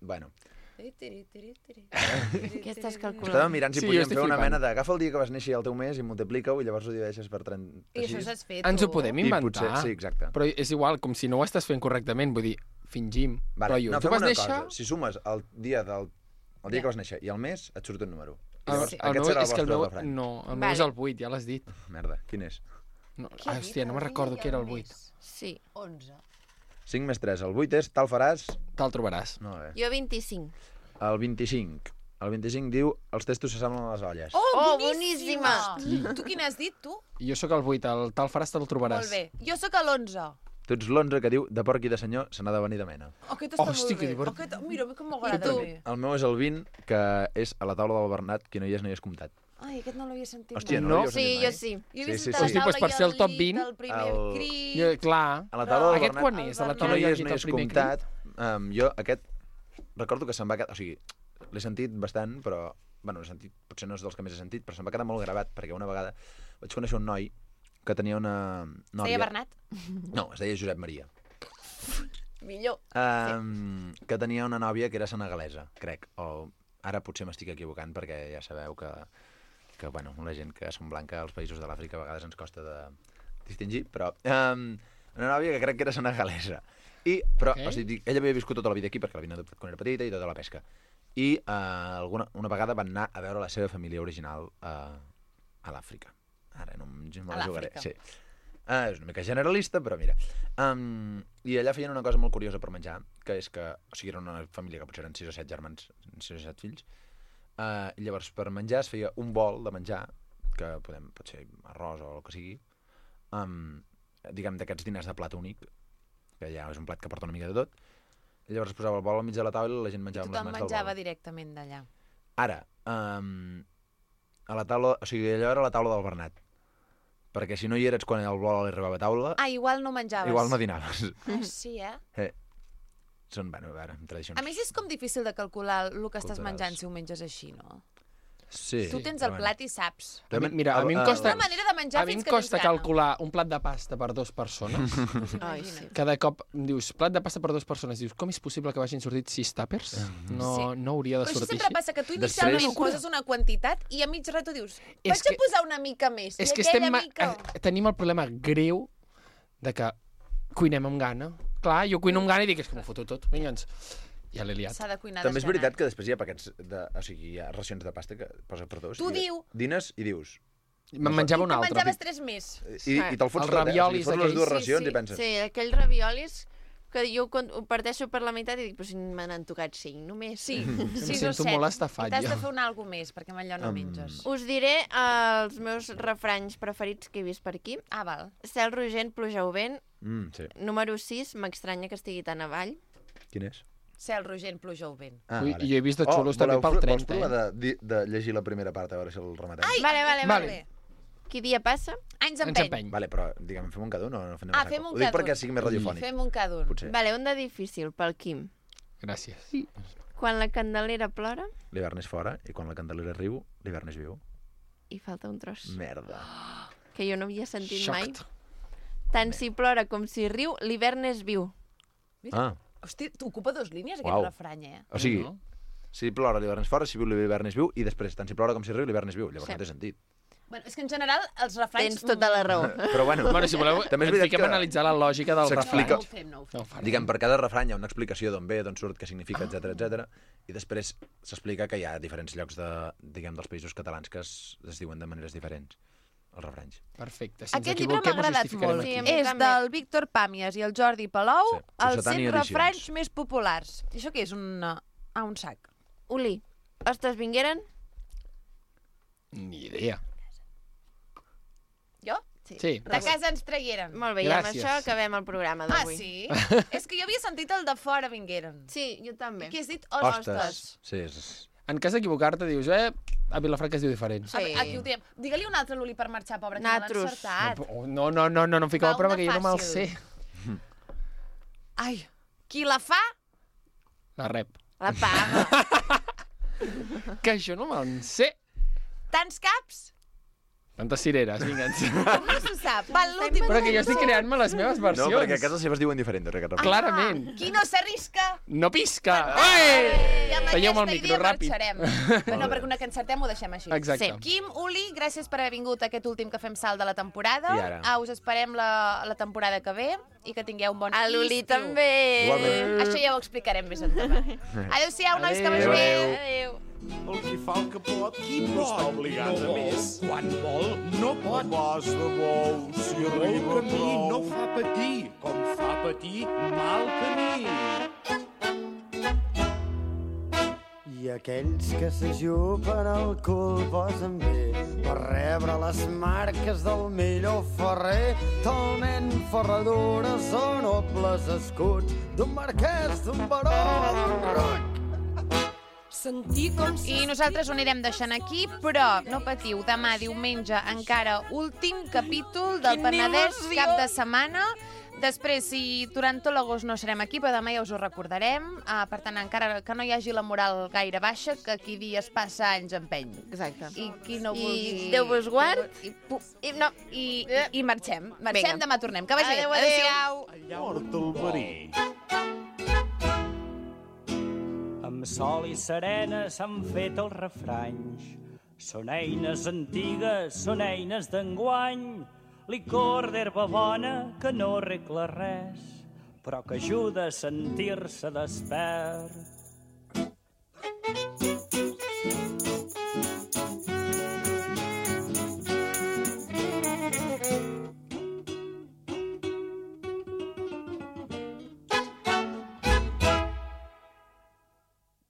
Bueno, Què estàs calculant? estàvem mirant si Sí, jo podíem estic fer una flipant. mena de... Agafa el dia que vas néixer i el teu mes i multiplica-ho i llavors ho divideixes per I això trenta-sis. s'has fet, Ens ho tu? podem I inventar. potser, sí, exacte. Però és igual, com si no ho estàs fent correctament, vull dir, fingim. Vale, Però jo, no, tu fem vas una néixer... cosa. Si sumes el dia del el dia Ja. que vas néixer i el mes, et surt un número. I El, llavors, el aquest meu, serà el és que el vostre meu, refrany. no, el meu Vale. és el vuit, ja l'has dit. Merda, quin és? No, Què ah, ha dit? hòstia, no me'n El recordo dia què era i el vuit. mes. Sí. onze. cinc més tres, el vuit és tal faràs... Te'l trobaràs. No, bé. Jo vint-i-cinc. El vint-i-cinc. El vint-i-cinc diu els testos s'assemblen a les olles. Oh, Oh, boníssima! boníssima! Tu quin has dit, tu? Jo sóc el vuit, el tal faràs te'l trobaràs. Molt bé. Jo sóc a l'onze. Tu ets l'onze que diu de porc i de senyor se n'ha de venir de mena. Aquest està Hosti, molt que bé. divertit. Aquest... Mira, com m'agrada tu? bé. El meu és el vint, que és a la taula del Bernat, qui no hi és no hi és comptat. Ai, aquest no l'havia sentit Hòstia, mai. no, No? l'havíeu Sí, sentit jo mai? sí. Jo he Sí, vist sí, tota sí. la Hosti, doncs taula per i ser el el top lit, vint, el primer el- crit... Jo, clar. A la taula del Aquest Bernat, quan és? A la el qui no taula hi hi és hagi no hi el és primer comptat. Um, jo aquest, recordo que se'm va quedar... O sigui, l'he sentit bastant, però... Bueno, l'he sentit, potser no és dels que més he sentit, però se'm va quedar molt gravat, perquè una vegada vaig conèixer un noi que tenia una Es nòvia... deia Bernat? No, es deia Josep Maria. Millor. Um, sí. Que tenia una nòvia que era senegalesa, crec. O ara potser m'estic equivocant, perquè ja sabeu que, que bueno, la gent que som blanca als països de l'Àfrica a vegades ens costa de distingir, però um, una nòvia que crec que era senegalesa. I, però, Ok. okay. o sigui, ella havia viscut tota la vida aquí perquè l'havien adoptat quan era petita i tota la pesca. I uh, alguna, una vegada van anar a veure la seva família original uh, a l'Àfrica. Ara no em me A la jugaré. l'Àfrica. Sí. Uh, és una mica generalista, però mira. Um, I allà feien una cosa molt curiosa per menjar, que és que, o sigui, era una família que potser eren sis o set germans, sis o set fills, uh, i llavors per menjar es feia un bol de menjar, que podem, pot ser arròs o el que sigui, um, diguem d'aquests diners de plat únic, que ja és un plat que porta una mica de tot, i llavors es posava el bol al mig de la taula i la gent menjava amb les Tothom mans del menjava bol. directament d'allà. Ara, um, a la taula, o sigui, allò era la taula del Bernat, perquè si no hi eres quan el bol arribava a taula, Ah, igual no menjaves. igual no dinaves. Ah, sí, eh? Eh. Són, bueno, a veure, tradicions. A més, és com difícil de calcular el que estàs Culturals. menjant si ho menges així, no? Sí. Tu tens però el plat i saps. A mi, mira, a mi em el- costa, És una manera de menjar a mi em fins que costa tens gana. calcular un plat de pasta per dues persones. Ai, sí. Cada cop em dius, plat de pasta per dues persones, dius, com és possible que vagin sortit sis tàpers? No, Sí. no hauria de Però això sortir sempre així. passa, que tu Després- inicialment Locura. poses una quantitat i a mig rato dius, És vaig que- a posar una mica més. És I que aquella estem, ma- mica... eh, tenim el problema greu de que cuinem amb gana. Clar, jo cuino amb gana i dic, és que m'ho foto tot. Vinga, ens... Ja l'he liat. S'ha de cuinar També és desganat. veritat que després hi ha paquets de... O sigui, hi ha racions de pasta que posa per dos. Tu i diu. Dines i dius... Me'n menjava I una te'n altra. menjaves tres més. I, i te'l fots Els tot, eh? O sigui, raviolis fots les aquells. dues Sí, racions sí, i penses... sí, aquells raviolis que jo quan ho parteixo per la meitat i dic, però si me n'han tocat cinc només. Sí, Em sis o sento set. molt estafat, I t'has jo. de fer un algo més, perquè amb allò no Um, menges. Us diré els meus refranys preferits que he vist per aquí. Ah, val. Cel rogent, pluja o vent. Mm, sí. Número sis, m'estranya que estigui tan avall. Quin és? Cel rogent, pluja o vent. Ah, Ui, i jo he vist de xulos també voleu pel pro- trenta, Vols provar eh? de, de, de llegir la primera part, a veure si el rematem? Ai, Vale, vale, Vale. vale. Qui dia passa? Anys Ens empeny. empeny. Vale, però, diguem, fem un cada un o no fem Ah, a fem saco? un Ho dic cada perquè un. sigui més radiofònic. Fem un cada un. Potser. Vale, un de difícil, pel Quim. Gràcies. Quan la candelera plora L'hivern és fora i quan la candelera riu, l'hivern és viu. i falta un tros. Merda. Que jo no havia sentit Xoct. mai. Tant si plora com si riu, l'hivern és viu. Ah, Hosti, t'ocupa dos línies, aquest Uau. refrany, eh? o sigui, No? si plora l'hivern és fora, si viu l'hivern és viu, i després, tant si plora com si riu, l'hivern és viu. Llavors Sí. no té sentit. Bueno, és que en general els refranys... Tens tota la raó. Però bueno, Bueno, si voleu, també és ens veritat fiquem que a analitzar la lògica del s'explica- refrany. No ho fem, no ho fem. No, ho farem. diguem, per cada refrany hi ha una explicació d'on ve, d'on surt, què significa, etc etc. I després s'explica que hi ha diferents llocs de, diguem, dels països catalans que es, es diuen de maneres diferents, els refranys. Perfecte. Si ens Aquest llibre m'ha equivoquem, us agradat justificarem molt. Sí, a aquí. mi És també. del Víctor Pàmies i el Jordi Palou, Sí, els Cossetani cent Edicions. refranys més populars. I això què és? Un, uh, ah, un sac. Uli, ostres, vingueren? Ni idea. Jo? Sí. De casa ens tragueren. Molt bé, i amb Gràcies. això acabem el programa Ah, d'avui. sí? És que jo havia sentit el de fora vingueren. Sí, jo també. I què has dit? Ostres. Hostes. Sí, és... En cas d'equivocar-te, dius, eh, a Vilafranca es diu diferent. Sí. Aquí ho diem. Digue-li un altre Luli per marxar, pobre, que no l'ha Natros. encertat. No, no, no, no, no em fiqueu Va, a prova, una que jo no me'l fàcil. sé. Ai, qui la fa, La rep. La paga. Que això no me'n sé. tants caps, Tantes cireres, vinga. com no se sap. Va, l'últim. Però que jo estic creant-me les meves No, versions. perquè a casa seves diuen diferent, aquest refrany. Clarament. Qui no s'arrisca, No pisca. I Ei! amb Talleu-me el aquesta micro, idea ràpid. marxarem. Però no, perquè una que encertem ho deixem així. Exacte. Sí. Quim, Uli, gràcies per haver vingut a aquest últim que fem salt de la temporada. I ara? Ah, us esperem la, la temporada que ve i que tingueu un bon A l'Uli estiu. també. Igualment. Això ja ho explicarem més endavant. Adéu-siau, nois, que vagi Adéu. bé. Adéu. El qui fa el que pot, qui no està obligat a més. Quan vol, no pot. El pas de bou, si arriba Bon camí prou. no fa patir, com fa patir mal camí. I aquells que s'ajupen el cul posen bé per rebre les marques del millor ferrer, talment ferradures o nobles escuts d'un marquès, d'un baró, d'un roc. Sentir com... I nosaltres ho anirem deixant aquí, però no patiu, demà diumenge encara últim capítol del Quina Penedès il·lusió! cap de setmana. Després, si durant tot l'agost no serem aquí, però demà ja us ho recordarem. Uh, per tant, encara que no hi hagi la moral gaire baixa, que qui dies passa anys empeny. Exacte. I qui no I vulgui... Déu vos guard. I, i, no, i, i, i marxem. Marxem, Vinga. demà tornem. Que vagi bé. Adéu, adéu. Adéu-siau. Mort el verí. Amb sol i serena s'han fet els refranys. Són eines antigues, són eines d'enguany. Licor d'herba bona que no arregla res, però que ajuda a sentir-se despert.